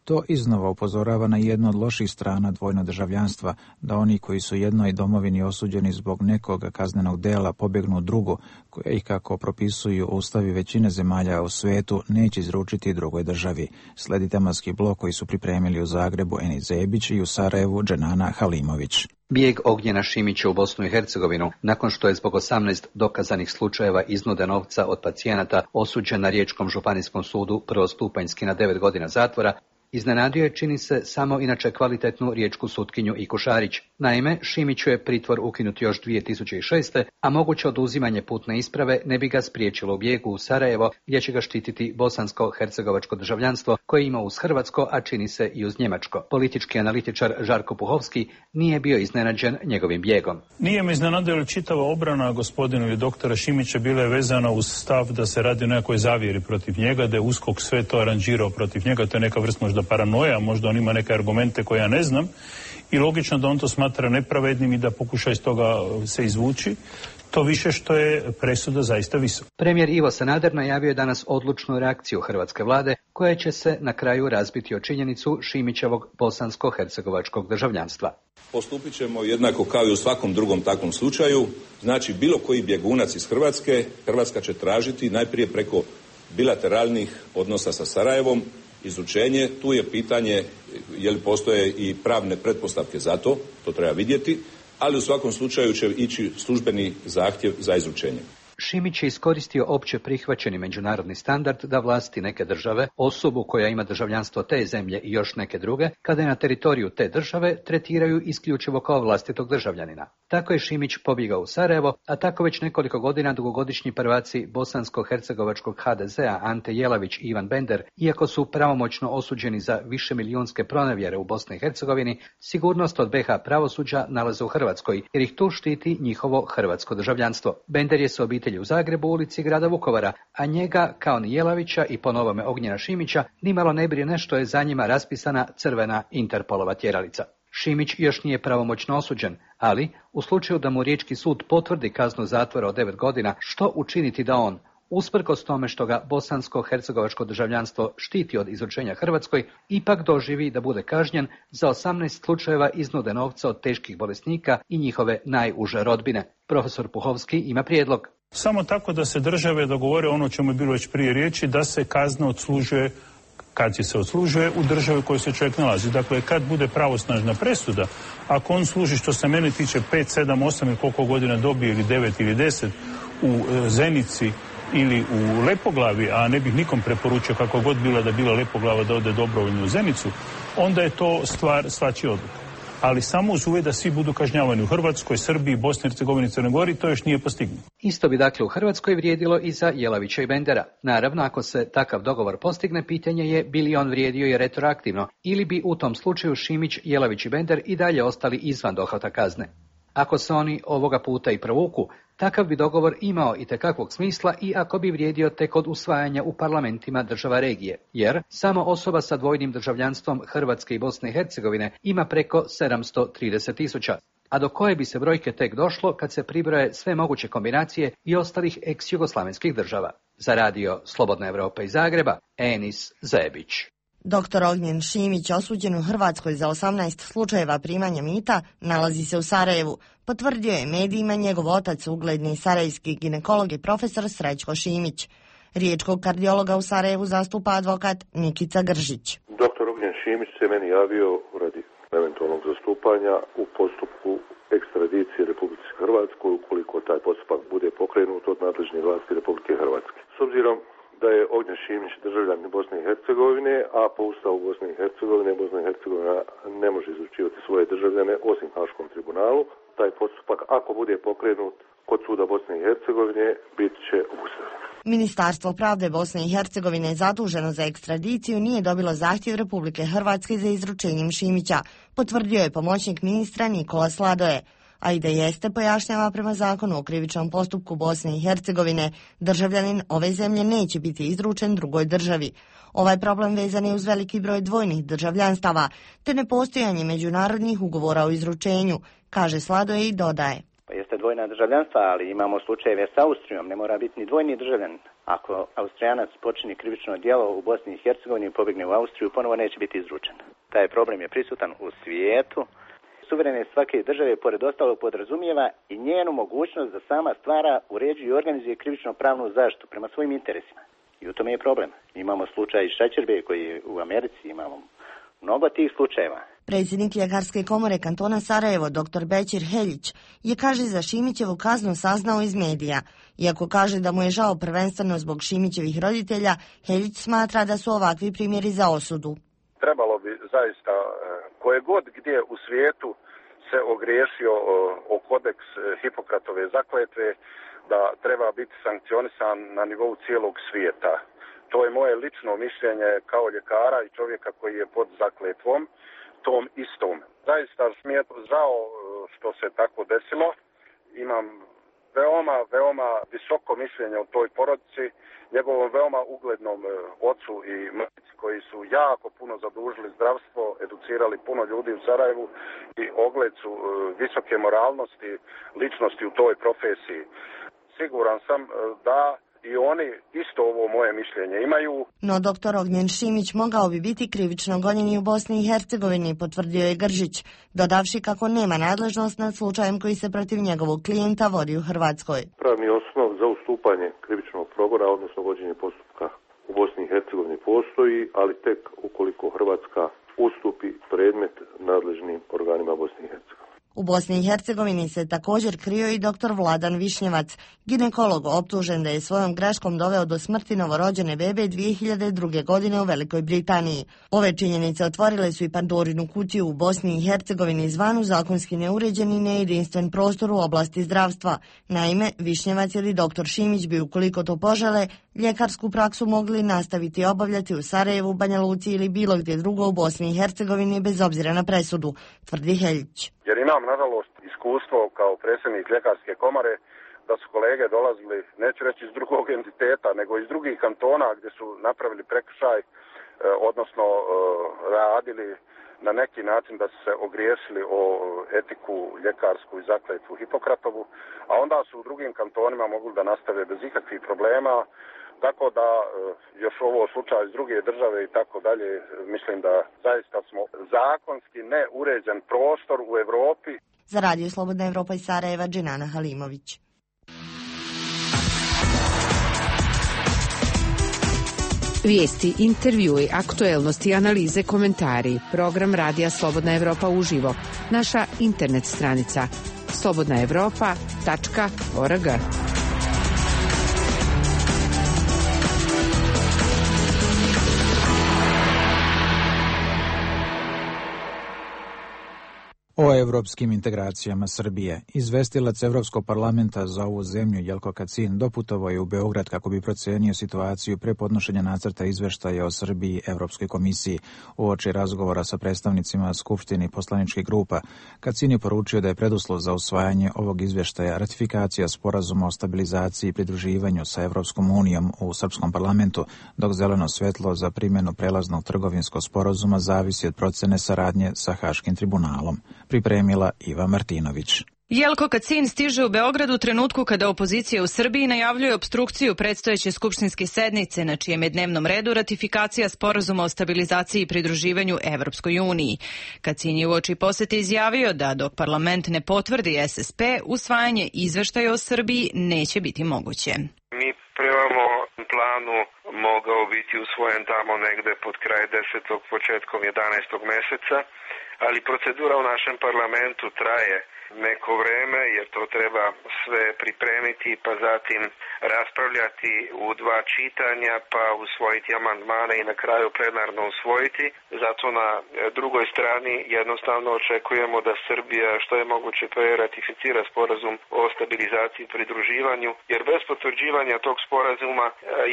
To iznova upozorava na jednu od loših strana dvojnog državljanstva, da oni koji su jednoj domovini osuđeni zbog nekog kaznenog dela pobjegnu u drugu, koje ih, kako propisuju ustavi većine zemalja u svetu, neće izručiti drugoj državi. Sledi tematski blok koji su pripremili u Zagrebu Eni Zebić i u Sarajevu Dženana Halimović. Bijeg Ognjena Šimića u Bosnu i Hercegovinu, nakon što je zbog 18 dokazanih slučajeva iznude novca od pacijenata osuđen na Riječkom županijskom sudu prvostupanjski na 9 godina zatvora, iznenadio je, čini se, samo inače kvalitetnu riječku sutkinju Iku Šarić. Naime, Šimiću je pritvor ukinut još 2006. a moguće oduzimanje putne isprave ne bi ga spriječilo u bijegu u Sarajevo, gdje će ga štititi bosansko-hercegovačko državljanstvo koje ima uz hrvatsko, a čini se i uz njemačko. Politički analitičar Žarko Puhovski nije bio iznenađen njegovim bijegom. Nije me iznenadila čitava obrana gospodinu ili doktora Šimića bila je vezana uz stav da se radi o nekoj zavjeri protiv njega, da je USKOK sve to aranžirao protiv njega, to je neka vrsta možda paranoja, možda on ima neke argumente koje ja ne znam i logično da on to smatra nepravednim i da pokuša iz toga se izvući, to više što je presuda zaista visoka. Premijer Ivo Sanader najavio je danas odlučnu reakciju hrvatske vlade koja će se na kraju razbiti o činjenicu Šimićevog bosansko-hercegovačkog državljanstva. Postupit ćemo jednako kao i u svakom drugom takvom slučaju, znači bilo koji bjegunac iz Hrvatske, Hrvatska će tražiti najprije preko bilateralnih odnosa sa Sarajevom izučenje. Tu je pitanje je li postoje i pravne pretpostavke za to treba vidjeti, ali u svakom slučaju će ići službeni zahtjev za izučenje. Šimić je iskoristio opće prihvaćeni međunarodni standard da vlasti neke države, osobu koja ima državljanstvo te zemlje i još neke druge, kada je na teritoriju te države, tretiraju isključivo kao vlastitog državljanina. Tako je Šimić pobjegao u Sarajevo, a tako već nekoliko godina dugogodišnji prvaci bosansko-hercegovačkog HDZ-a Ante Jelavić i Ivan Bender, iako su pravomoćno osuđeni za višemilijunske pronevjere u Bosni i Hercegovini, sigurnost od BiH pravosuđa nalaze u Hrvatskoj, jer ih tu štiti njihovo hrvatsko državljanstvo. Bender je sa obitelji u Zagrebu u ulici grada Vukovara, a njega, kao ni Jelavića i po novome Ognjena Šimića, nimalo ne brine što je za njima raspisana crvena Interpolova tjeralica. Šimić još nije pravomoćno osuđen, ali u slučaju da mu Riječki sud potvrdi kaznu zatvora od 9 godina, što učiniti da on, usprkos tome što ga bosansko-hercegovačko državljanstvo štiti od izručenja Hrvatskoj, ipak doživi da bude kažnjen za 18 slučajeva iznude novca od teških bolesnika i njihove najuže rodbine. Profesor Puhovski ima prijedlog. Samo tako da se države dogovore ono o čemu je bilo već prije riječi, da se kazna odslužuje kad se odslužuje u državi u kojoj se čovjek nalazi. Dakle, kad bude pravosnažna presuda, ako on služi, što se mene tiče, 5, 7, 8 ili koliko godina dobije, ili 9 ili 10 u Zenici ili u Lepoglavi, a ne bih nikom preporučio kako god bila da bila Lepoglava da ode dobrovoljno u Zenicu, onda je to stvar svačije odluke. Ali samo uz uvjet da svi budu kažnjavani u Hrvatskoj, Srbiji, Bosni i Hercegovini, Crnoj Gori, to još nije postignuto. Isto bi dakle u Hrvatskoj vrijedilo i za Jelavića i Bendera. Naravno, ako se takav dogovor postigne, pitanje je bi li on vrijedio i retroaktivno, ili bi u tom slučaju Šimić, Jelavić i Bender i dalje ostali izvan dohvata kazne. Ako se oni ovoga puta i provuku, takav bi dogovor imao itekakvog smisla i ako bi vrijedio tek od usvajanja u parlamentima država regije, jer samo osoba sa dvojnim državljanstvom Hrvatske i Bosne i Hercegovine ima preko 730.000, a do koje bi se brojke tek došlo kad se pribroje sve moguće kombinacije i ostalih ex-jugoslavenskih država. Za radio Slobodna Evropa iz Zagreba, Enis Zebić. Dr. Ognjen Šimić, osuđen u Hrvatskoj za 18 slučajeva primanja mita, nalazi se u Sarajevu. Potvrdio je medijima njegov otac, ugledni sarajevski ginekolog i profesor Srećko Šimić. Riječkog kardiologa u Sarajevu zastupa advokat Nikica Gržić. Dr. Ognjen Šimić se meni javio radi eventualnog zastupanja u postupku ekstradicije Republike Hrvatskoj ukoliko taj postupak bude pokrenut od nadležnih vlasti Republike Hrvatske. S obzirom da je Ognjen Šimić državljanin Bosne i Hercegovine, a po Ustavu Bosne i Hercegovine Bosna i Hercegovina ne može izručivati svoje državljane osim Haškom tribunalu. Taj postupak, ako bude pokrenut kod suda Bosne i Hercegovine, bit će obustavljen. Ministarstvo pravde Bosne i Hercegovine zaduženo za ekstradiciju nije dobilo zahtjev Republike Hrvatske za izručenjem Šimića, potvrdio je pomoćnik ministra Nikola Sladoje. A i da jeste, pojašnjava, prema zakonu o krivičnom postupku Bosne i Hercegovine, državljanin ove zemlje neće biti izručen drugoj državi. Ovaj problem vezan je uz veliki broj dvojnih državljanstava, te nepostojanje međunarodnih ugovora o izručenju, kaže Sladoje i dodaje. Jeste dvojna državljanstva, ali imamo slučajeve s Austrijom, ne mora biti ni dvojni državljanin. Ako Austrijanac počini krivično djelo u Bosni i Hercegovini i pobjegne u Austriju, ponovo neće biti izručen. Taj problem je prisutan u svijetu. Suverene svake države, pored ostalog, podrazumijeva i njenu mogućnost da sama stvara, uređuje i organizuje krivično pravnu zaštitu prema svojim interesima. I u tome je problem. Imamo slučaj Šećerbe koji je u Americi, imamo mnogo tih slučajeva. Predsjednik Ljekarske komore kantona Sarajevo, dr. Bećir Heljić, je, kaže, za Šimićevu kaznu saznao iz medija. Iako kaže da mu je žao prvenstveno zbog Šimićevih roditelja, Heljić smatra da su ovakvi primjeri za osudu. Trebalo bi zaista, koje god gdje u svijetu se ogriješio o kodeks Hipokratove zakletve, da treba biti sankcionisan na nivou cijelog svijeta. To je moje lično mišljenje kao ljekara i čovjeka koji je pod zakletvom, tom istom. Zaista mi je žao što se tako desilo. Imam veoma visoko mišljenje o toj porodici, njegovom veoma uglednom ocu i majci koji su jako puno zadužili zdravstvo, educirali puno ljudi u Sarajevu i ogled su visoke moralnosti, ličnosti u toj profesiji. Siguran sam da i oni isto ovo moje mišljenje imaju. No dr. Ognjen Šimić mogao bi biti krivično gonjen i u Bosni i Hercegovini, potvrdio je Gržić, dodavši kako nema nadležnost nad slučajem koji se protiv njegovog klijenta vodi u Hrvatskoj. Pravni osnov za ustupanje krivičnog progona, odnosno vođenje postupka u Bosni i Hercegovini postoji, ali tek ukoliko Hrvatska ustupi predmet nadležnim organima Bosne i Hercegovine. U Bosni i Hercegovini se također krio i dr. Vladan Višnjevac, ginekolog optužen da je svojom greškom doveo do smrti novorođene bebe 2002. godine u Velikoj Britaniji. Ove činjenice otvorile su i Pandorinu kutiju u Bosni i Hercegovini zvanu zakonski neuređen i nejedinstven prostor u oblasti zdravstva. Naime, Višnjevac ili dr. Šimić bi, ukoliko to požele, ljekarsku praksu mogli nastaviti obavljati u Sarajevu, Banja Luci ili bilo gdje drugo u Bosni i Hercegovini bez obzira na presudu, tvrdi Heljić. Jer imam, nažalost, iskustvo kao predsjednik ljekarske komore da su kolege dolazili, neću reći iz drugog entiteta, nego iz drugih kantona gdje su napravili prekršaj, odnosno radili na neki način da su se ogriješili o etiku ljekarsku i zakletvu Hipokratovu, a onda su u drugim kantonima mogli da nastave bez ikakvih problema, tako da još ovo slučaj iz druge države i tako dalje, mislim da zaista smo zakonski neuređen prostor u Evropi. Za Radio Slobodna Evropa iz Sarajeva, Dženana Halimović. Vijesti, intervjui, aktuelnosti, analize, komentari. Program Radija Slobodna Evropa uživo. Naša internet stranica slobodnaevropa.org. O evropskim integracijama Srbije. Izvestilac Evropskog parlamenta za ovu zemlju Jelko Kacin doputovao je u Beograd kako bi procenio situaciju pre podnošenja nacrta izveštaja o Srbiji Evropskoj komisiji. Uoči razgovora sa predstavnicima Skupštine poslaničkih grupa, Kacin je poručio da je preduslov za usvajanje ovog izveštaja ratifikacija sporazuma o stabilizaciji i pridruživanju sa Evropskom unijom u srpskom parlamentu, dok zeleno svetlo za primjenu prelaznog trgovinskog sporazuma zavisi od procene saradnje sa Haškim tribunalom. Pripremila Iva Martinović. Jelko Kacin stiže u Beograd u trenutku kada opozicija u Srbiji najavljuje opstrukciju predstojeće skupštinske sednice, na čijem je dnevnom redu ratifikacija sporazuma o stabilizaciji i pridruživanju Evropskoj uniji. Kacin je uoči posete izjavio da dok parlament ne potvrdi SSP, usvajanje izveštaja o Srbiji neće biti moguće. Mi premamo planu mogao biti usvojen tamo negde pod kraj 10. početkom 11. meseca, ali procedura u našem parlamentu traje neko vreme jer to treba sve pripremiti pa zatim raspravljati u dva čitanja pa usvojiti amandmane i na kraju plenarno usvojiti. Zato na drugoj strani jednostavno očekujemo da Srbija što je moguće pre ratificira sporazum o stabilizaciji i pridruživanju jer bez potvrđivanja tog sporazuma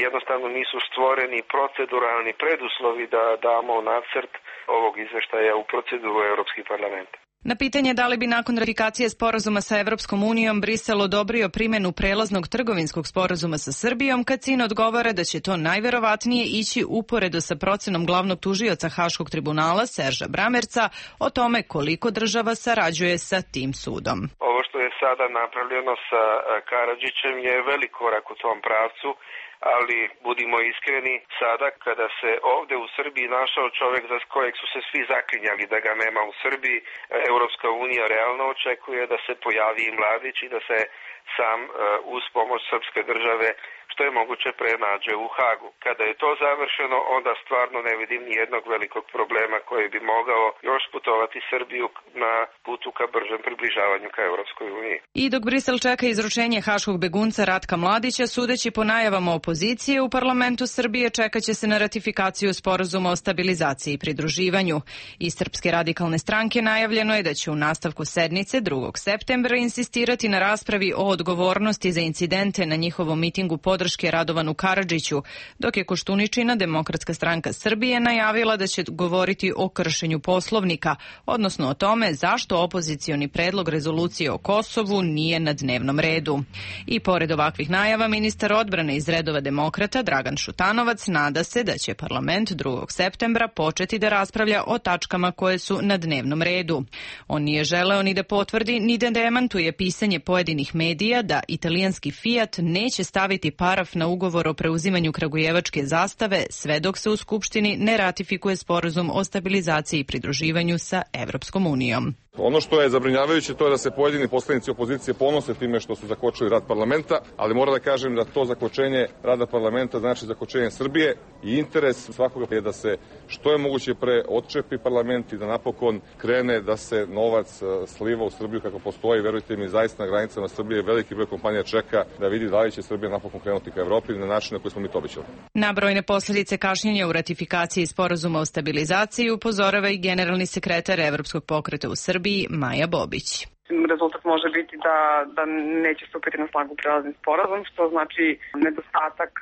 jednostavno nisu stvoreni proceduralni preduslovi da damo nacrt ovog izveštaja u proceduru Europski parlament. Na pitanje da li bi nakon ratifikacije sporazuma sa Evropskom unijom Brisel odobrio primjenu prelaznog trgovinskog sporazuma sa Srbijom, Kacin odgovara da će to najverovatnije ići uporedo sa procenom glavnog tužioca Haškog tribunala Serža Bramerca o tome koliko država sarađuje sa tim sudom. Ovo što je sada napravljeno sa Karadžićem je velik korak u tom pravcu, ali budimo iskreni, sada kada se ovdje u Srbiji našao čovjek za kojeg su se svi zaklinjali da ga nema u Srbiji, Europska unija realno očekuje da se pojavi i Mladić i da se sam uz pomoć srpske države što je moguće prenađe u Hagu. Kada je to završeno, onda stvarno ne vidim ni jednog velikog problema koji bi mogao još putovati Srbiju na putu ka bržem približavanju ka Europskoj uniji. I dok Brisel čeka izručenje haškog begunca Ratka Mladića, sudeći po najavama opozicije, u parlamentu Srbije čekaće se na ratifikaciju sporazuma o stabilizaciji i pridruživanju. Iz Srpske radikalne stranke najavljeno je da će u nastavku sednice 2. septembra insistirati na raspravi o odgovornosti za incidente na njihovom mitingu podrške Radovanu Karadžiću, dok je Koštuničina, Demokratska stranka Srbije, najavila da će govoriti o kršenju Poslovnika, odnosno o tome zašto opozicioni predlog rezolucije o Kosovu nije na dnevnom redu. I pored ovakvih najava, ministar odbrane iz redova demokrata Dragan Šutanovac nada se da će parlament 2. septembra početi da raspravlja o tačkama koje su na dnevnom redu. On nije želeo ni da potvrdi ni da demantuje pisanje pojedinih medija da italijanski Fiat neće staviti paraf na ugovor o preuzimanju kragujevačke zastave sve dok se u Skupštini ne ratifikuje sporazum o stabilizaciji i pridruživanju sa Evropskom unijom. Ono što je zabrinjavajuće to je da se pojedini poslanici opozicije ponose time što su zakočili rad parlamenta, ali moram da kažem da to zakočenje rada parlamenta znači zakočenje Srbije i interes svakoga je da se što je moguće pre odčepi parlament i da napokon krene da se novac sliva u Srbiju kako postoji. Verujte mi, zaista na granicama Srbije veliki broj kompanija čeka da vidi da li će Srbija napokon krenuti ka Evropi na način na koji smo mi to obećali. Na brojne posljedice kašnjenja u ratifikaciji sporazuma o stabilizaciji upozorava i generalni sekretar Evropskog pokreta u Srbiji Maja Bobić. Rezultat može biti da neće stupiti na snagu prelazni sporazum, što znači nedostatak,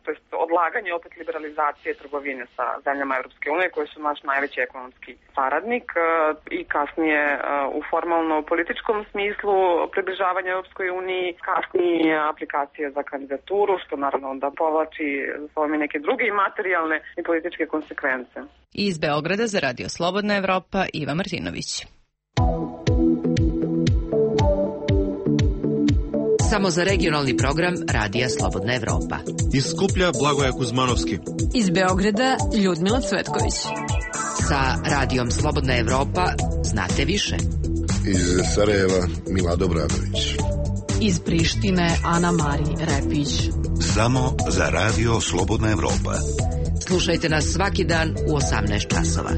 to jest odlaganje opet liberalizacije trgovine sa zemljama Europske unije, koje su naš najveći ekonomski saradnik, i kasnije u formalno-političkom smislu približavanja Europskoj uniji, kasnije aplikacije za kandidaturu, što naravno onda povlači za sobom i neke druge i materijalne i političke konsekvence. Iz Beograda za Radio Slobodna Evropa, Iva Martinović. Samo za regionalni program Radija Slobodna Evropa. Iz Skuplja Blagoja Kuzmanovski. Iz Beograda Ljudmila Cvetković. Sa Radijom Slobodna Evropa znate više. Iz Sarajeva Milado Bradović. Iz Prištine Ana Mari Repić. Samo za Radio Slobodna Evropa. Slušajte nas svaki dan u 18 časova.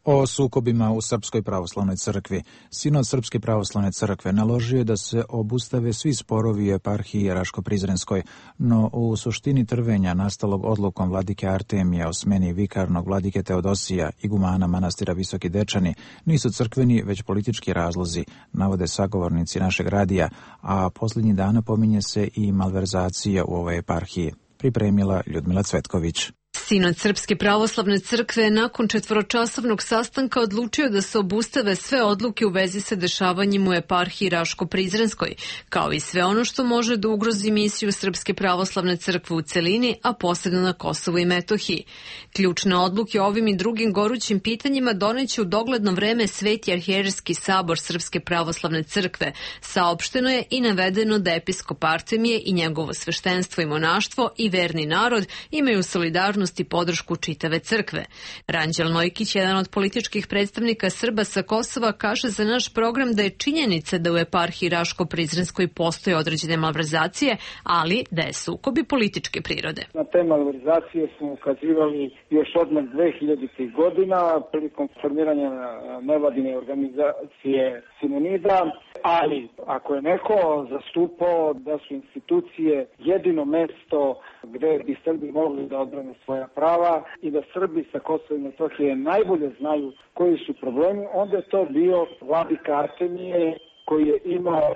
O sukobima u Srpskoj pravoslavnoj crkvi. Sinod Srpske pravoslavne crkve naložio je da se obustave svi sporovi u eparhiji Raško-Prizrenskoj, no u suštini trvenja nastalog odlukom vladike Artemija o smeni vikarnog vladike Teodosija, igumana manastira Visoki Dečani, nisu crkveni, već politički razlozi, navode sagovornici našeg radija, a posljednjih dana pominje se i malverzacija u ovoj eparhiji. Pripremila Ljudmila Cvetković. Sinod Srpske pravoslavne crkve nakon 4-časovnog sastanka odlučio da se obustave sve odluke u vezi sa dešavanjem u eparhiji Raško-Prizrenskoj, kao i sve ono što može da ugrozi misiju Srpske pravoslavne crkve u celini, a posebno na Kosovu i Metohiji. Ključne odluke o ovim i drugim gorućim pitanjima doneće u dogledno vreme Sveti arhijerejski sabor Srpske pravoslavne crkve. Saopšteno je i navedeno da episkop Artemije i njegovo sveštenstvo i monaštvo i verni narod imaju solidarnost i podršku čitave crkve. Ranđel Nojkić, jedan od političkih predstavnika Srba sa Kosova, kaže za naš program da je činjenica da u eparhiji Raško-Prizrenskoj postoje određene malverzacije, ali da je sukobi političke prirode. Na te malverzacije smo ukazivali još odmah 2000. godina prilikom formiranja nevladine organizacije Simonida, ali ako je neko zastupao da su institucije jedino mesto gde bi Srbi mogli da odbrane svoja prava i da Srbi sa Kosova i Metohije najbolje znaju koji su problemi, onda je to bio vladika Artemije, koji je imao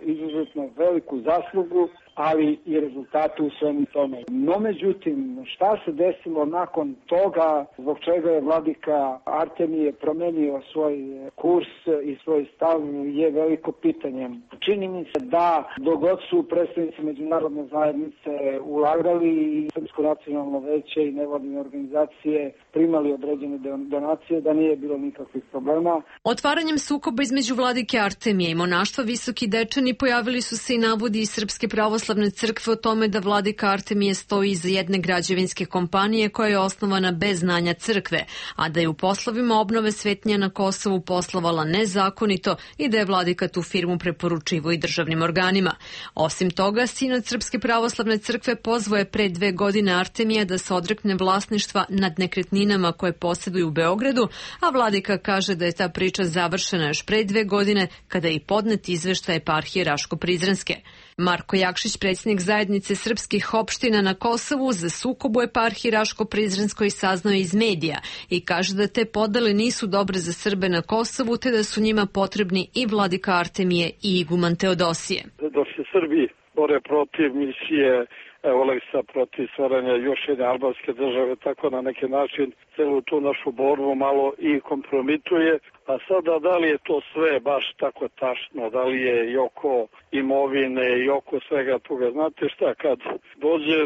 izuzetno veliku zaslugu, ali i rezultate u svemu tome. No, međutim, šta se desilo nakon toga, zbog čega je vladika Artemije promenio svoj kurs i svoj stav, je veliko pitanje. Čini mi se da dogod su predstavnici međunarodne zajednice ulagali i Srpsko nacionalno veće i nevladine organizacije primali određene donacije, da nije bilo nikakvih problema. Otvaranjem sukoba između vladike Artemije i monaštva Visoki Dečani pojavili su se i navodi iz Srpske pravoslavne crkve o tome da vladika Artemije stoji iza jedne građevinske kompanije koja je osnovana bez znanja crkve, a da je u poslovima obnove svetinja na Kosovu poslovala nezakonito i da je vladika tu firmu preporučivao i državnim organima. Osim toga, Sinod Srpske pravoslavne crkve pozvao je pre 2 godine Artemija da se odrekne vlasništva nad nekretninama koje posjeduju u Beogradu, a vladika kaže da je ta priča završena još pre 2 godine kada je i podnet izveštaj eparhije Raško-Prizrenske. Marko Jakšić, predsjednik zajednice srpskih opština na Kosovu, za sukob u eparhiji Raško-Prizrenskoj saznao iz medija i kaže da te podele nisu dobre za Srbe na Kosovu, te da su njima potrebni i vladika Artemije i iguman Teodosije. Dok se Srbi bore protiv misije Oleksa, protiv stvaranja još jedne albanske države, tako na neki način celu tu našu borbu malo i kompromituje. A sada, da li je to sve baš tako tačno, da li je i oko imovine i oko svega toga. Znate šta, kad dođe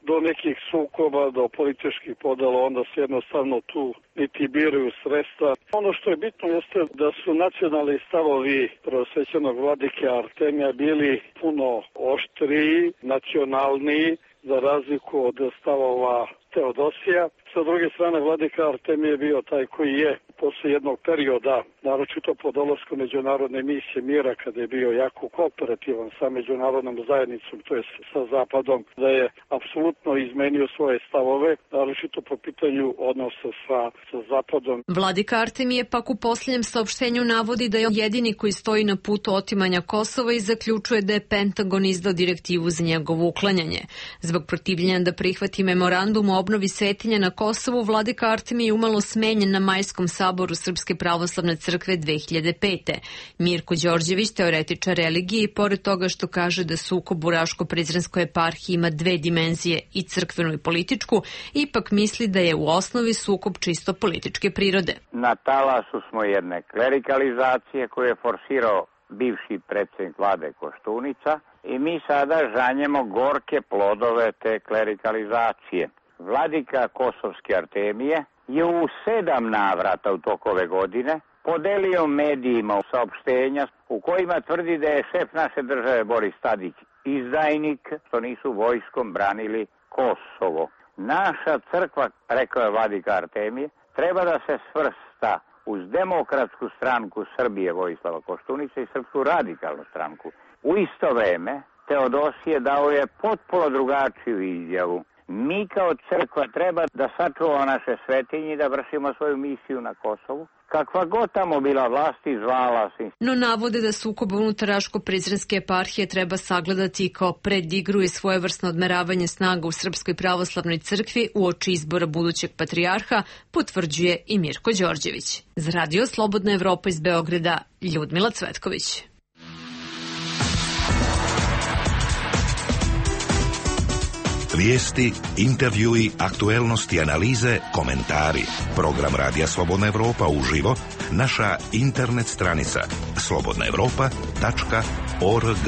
do nekih sukoba, do političkih podela, onda se jednostavno tu niti biraju sredstva. Ono što je bitno jeste da su nacionalni stavovi prvosvećenog vladike Artemija bili puno oštriji, nacionalniji, za razliku od stavova Teodosija. Sa druge strane, vladika Artemije je bio taj koji je posle jednog perioda, naročito po dolasku međunarodne misije mira, kada je bio jako kooperativan sa međunarodnom zajednicom, to je sa Zapadom, da je apsolutno izmenio svoje stavove, naročito po pitanju odnosa sa Zapadom. Vladika Artemije pak u posljednjem saopštenju navodi da je jedini koji stoji na putu otimanja Kosova i zaključuje da je Pentagon izdao direktivu za njegovo uklanjanje. Zbog protivljenja da prihvati memorandum o obnovi svetinja na Kosovu, vladika Artemije je umalo smenjen na Majskom saboru Srpske pravoslavne crkve 2005. Mirko Đorđević, teoretičar religije, i pored toga što kaže da sukob u Raško-Prizrenskoj eparhiji ima dve dimenzije, i crkvenu i političku, ipak misli da je u osnovi sukob čisto političke prirode. Na talasu smo jedne klerikalizacije koju je forsirao bivši predsjednik vlade Koštunica i mi sada žanjemo gorke plodove te klerikalizacije. Vladika Kosovske Artemije je u 7 navrata u toku ove godine podelio medijima saopštenja u kojima tvrdi da je šef naše države Boris Tadić izdajnik, što nisu vojskom branili Kosovo. Naša crkva, rekao je vladika Artemije, treba da se svrsta uz Demokratsku stranku Srbije Vojislava Koštunice i Srpsku radikalnu stranku. U isto vreme Teodosije dao je potpuno drugačiju izjavu. Mi kao crkva treba da sačuvamo naše svetinje i da vršimo svoju misiju na Kosovu, kakva god tamo bila vlast i zvala se. No navode da sukob unutar Raško-Prizrenske eparhije treba sagledati kao predigru i svojevrsno odmeravanje snaga u Srpskoj pravoslavnoj crkvi uoči izbora budućeg patrijarha, potvrđuje i Mirko Đorđević. Za Radio Slobodna Evropa iz Beograda, Ljudmila Cvetković. Vijesti, intervjui, aktuelnosti, analize, komentari. Program Radija Slobodna Evropa uživo, naša internet stranica slobodnaevropa.org.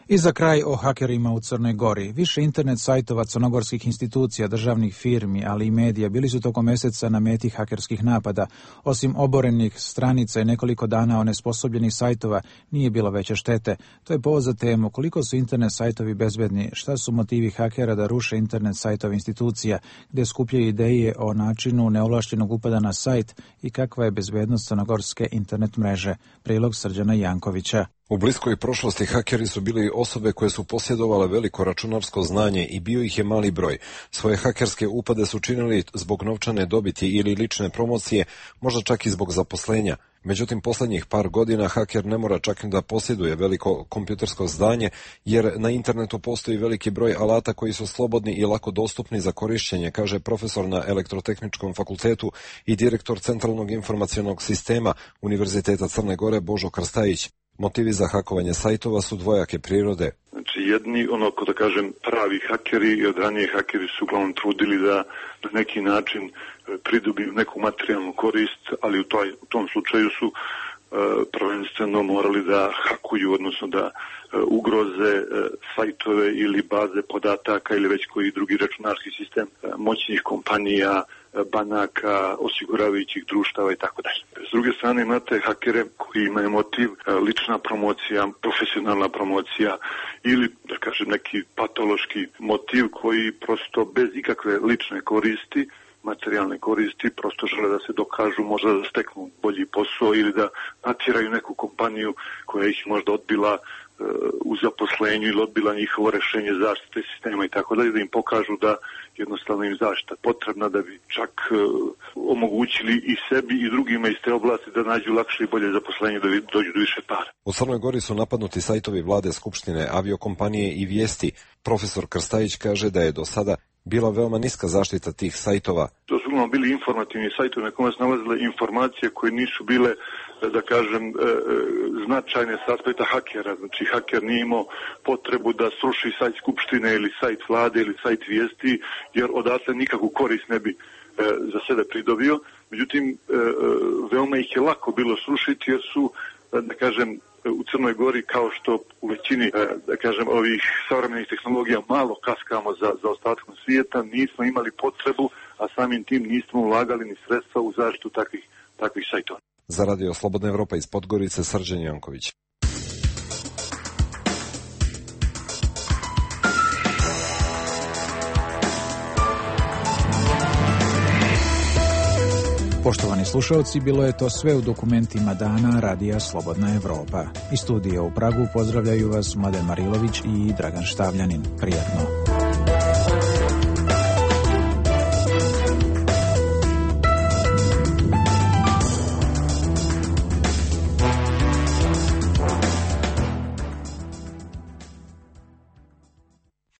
I za kraj o hakerima u Crnoj Gori. Više internet sajtova crnogorskih institucija, državnih firmi, ali i medija bili su tokom mjeseca na meti hakerskih napada. Osim oborenih stranica i nekoliko dana onesposobljenih sajtova, nije bilo veće štete. To je povod za temu koliko su internet sajtovi bezbedni, šta su motivi hakera da ruše internet sajtove institucija, gdje skupljaju ideje o načinu neovlaštenog upada na sajt i kakva je bezbednost crnogorske internet mreže. Prilog Srđana Jankovića. U bliskoj prošlosti hakeri su bili osobe koje su posjedovale veliko računarsko znanje i bio ih je mali broj. Svoje hakerske upade su činili zbog novčane dobiti ili lične promocije, možda čak i zbog zaposlenja. Međutim, posljednjih par godina haker ne mora čak da posjeduje veliko kompjutersko znanje, jer na internetu postoji veliki broj alata koji su slobodni i lako dostupni za korišćenje, kaže profesor na Elektrotehničkom fakultetu i direktor Centralnog informacionog sistema Univerziteta Crne Gore Božo Krstajić. Motivi za hakovanje sajtova su dvojake prirode. Znači jedni, da kažem, pravi hakeri i od ranije hakeri su uglavnom trudili da na neki način pridobiju neku materijalnu korist, ali u tom slučaju su prvenstveno morali da hakuju, odnosno da ugroze sajtove ili baze podataka ili već koji drugi računarski sistem moćnih kompanija, banaka, osiguravajućih društava i tako dalje. S druge strane imate hakere koji imaju motiv lična promocija, profesionalna promocija ili, da kažem, neki patološki motiv koji prosto bez ikakve lične koristi, materijalne koristi, prosto žele da se dokažu, možda da steknu bolji posao ili da natjeraju neku kompaniju koja ih možda odbila u zaposlenju ili odbila njihovo rešenje zaštite sistema i tako dalje, da im pokažu da jednostavno im zaštita potrebna da bi čak omogućili i sebi i drugima iz te oblasti da nađu lakše i bolje zaposlenje, da dođu do više para. U Crnoj Gori su napadnuti sajtovi vlade, skupštine, aviokompanije i vijesti. Profesor Krstajić kaže da je do sada bila veoma niska zaštita tih sajtova. To su uglavnom bili informativni sajtovi na kojima se nalazile informacije koje nisu bile, da kažem, značajne s aspekta hakera. Znači, haker nije imao potrebu da sruši sajt skupštine ili sajt vlade ili sajt vijesti, jer odatle nikakvu korist ne bi za sebe pridobio. Međutim, veoma ih je lako bilo srušiti jer su, da kažem, u Crnoj Gori, kao što u većini, da kažem, ovih savremenih tehnologija malo kaskamo za ostatkom svijeta, nismo imali potrebu, a samim tim nismo ulagali ni sredstva u zaštitu takvih sajtova. Za Radio Slobodna Evropa iz Podgorice, Srđan Janković. Poštovani slušalci, bilo je to sve u dokumentima dana Radija Slobodna Evropa. Iz studija u Pragu pozdravljaju vas Mladen Marilović i Dragan Štavljanin. Prijatno.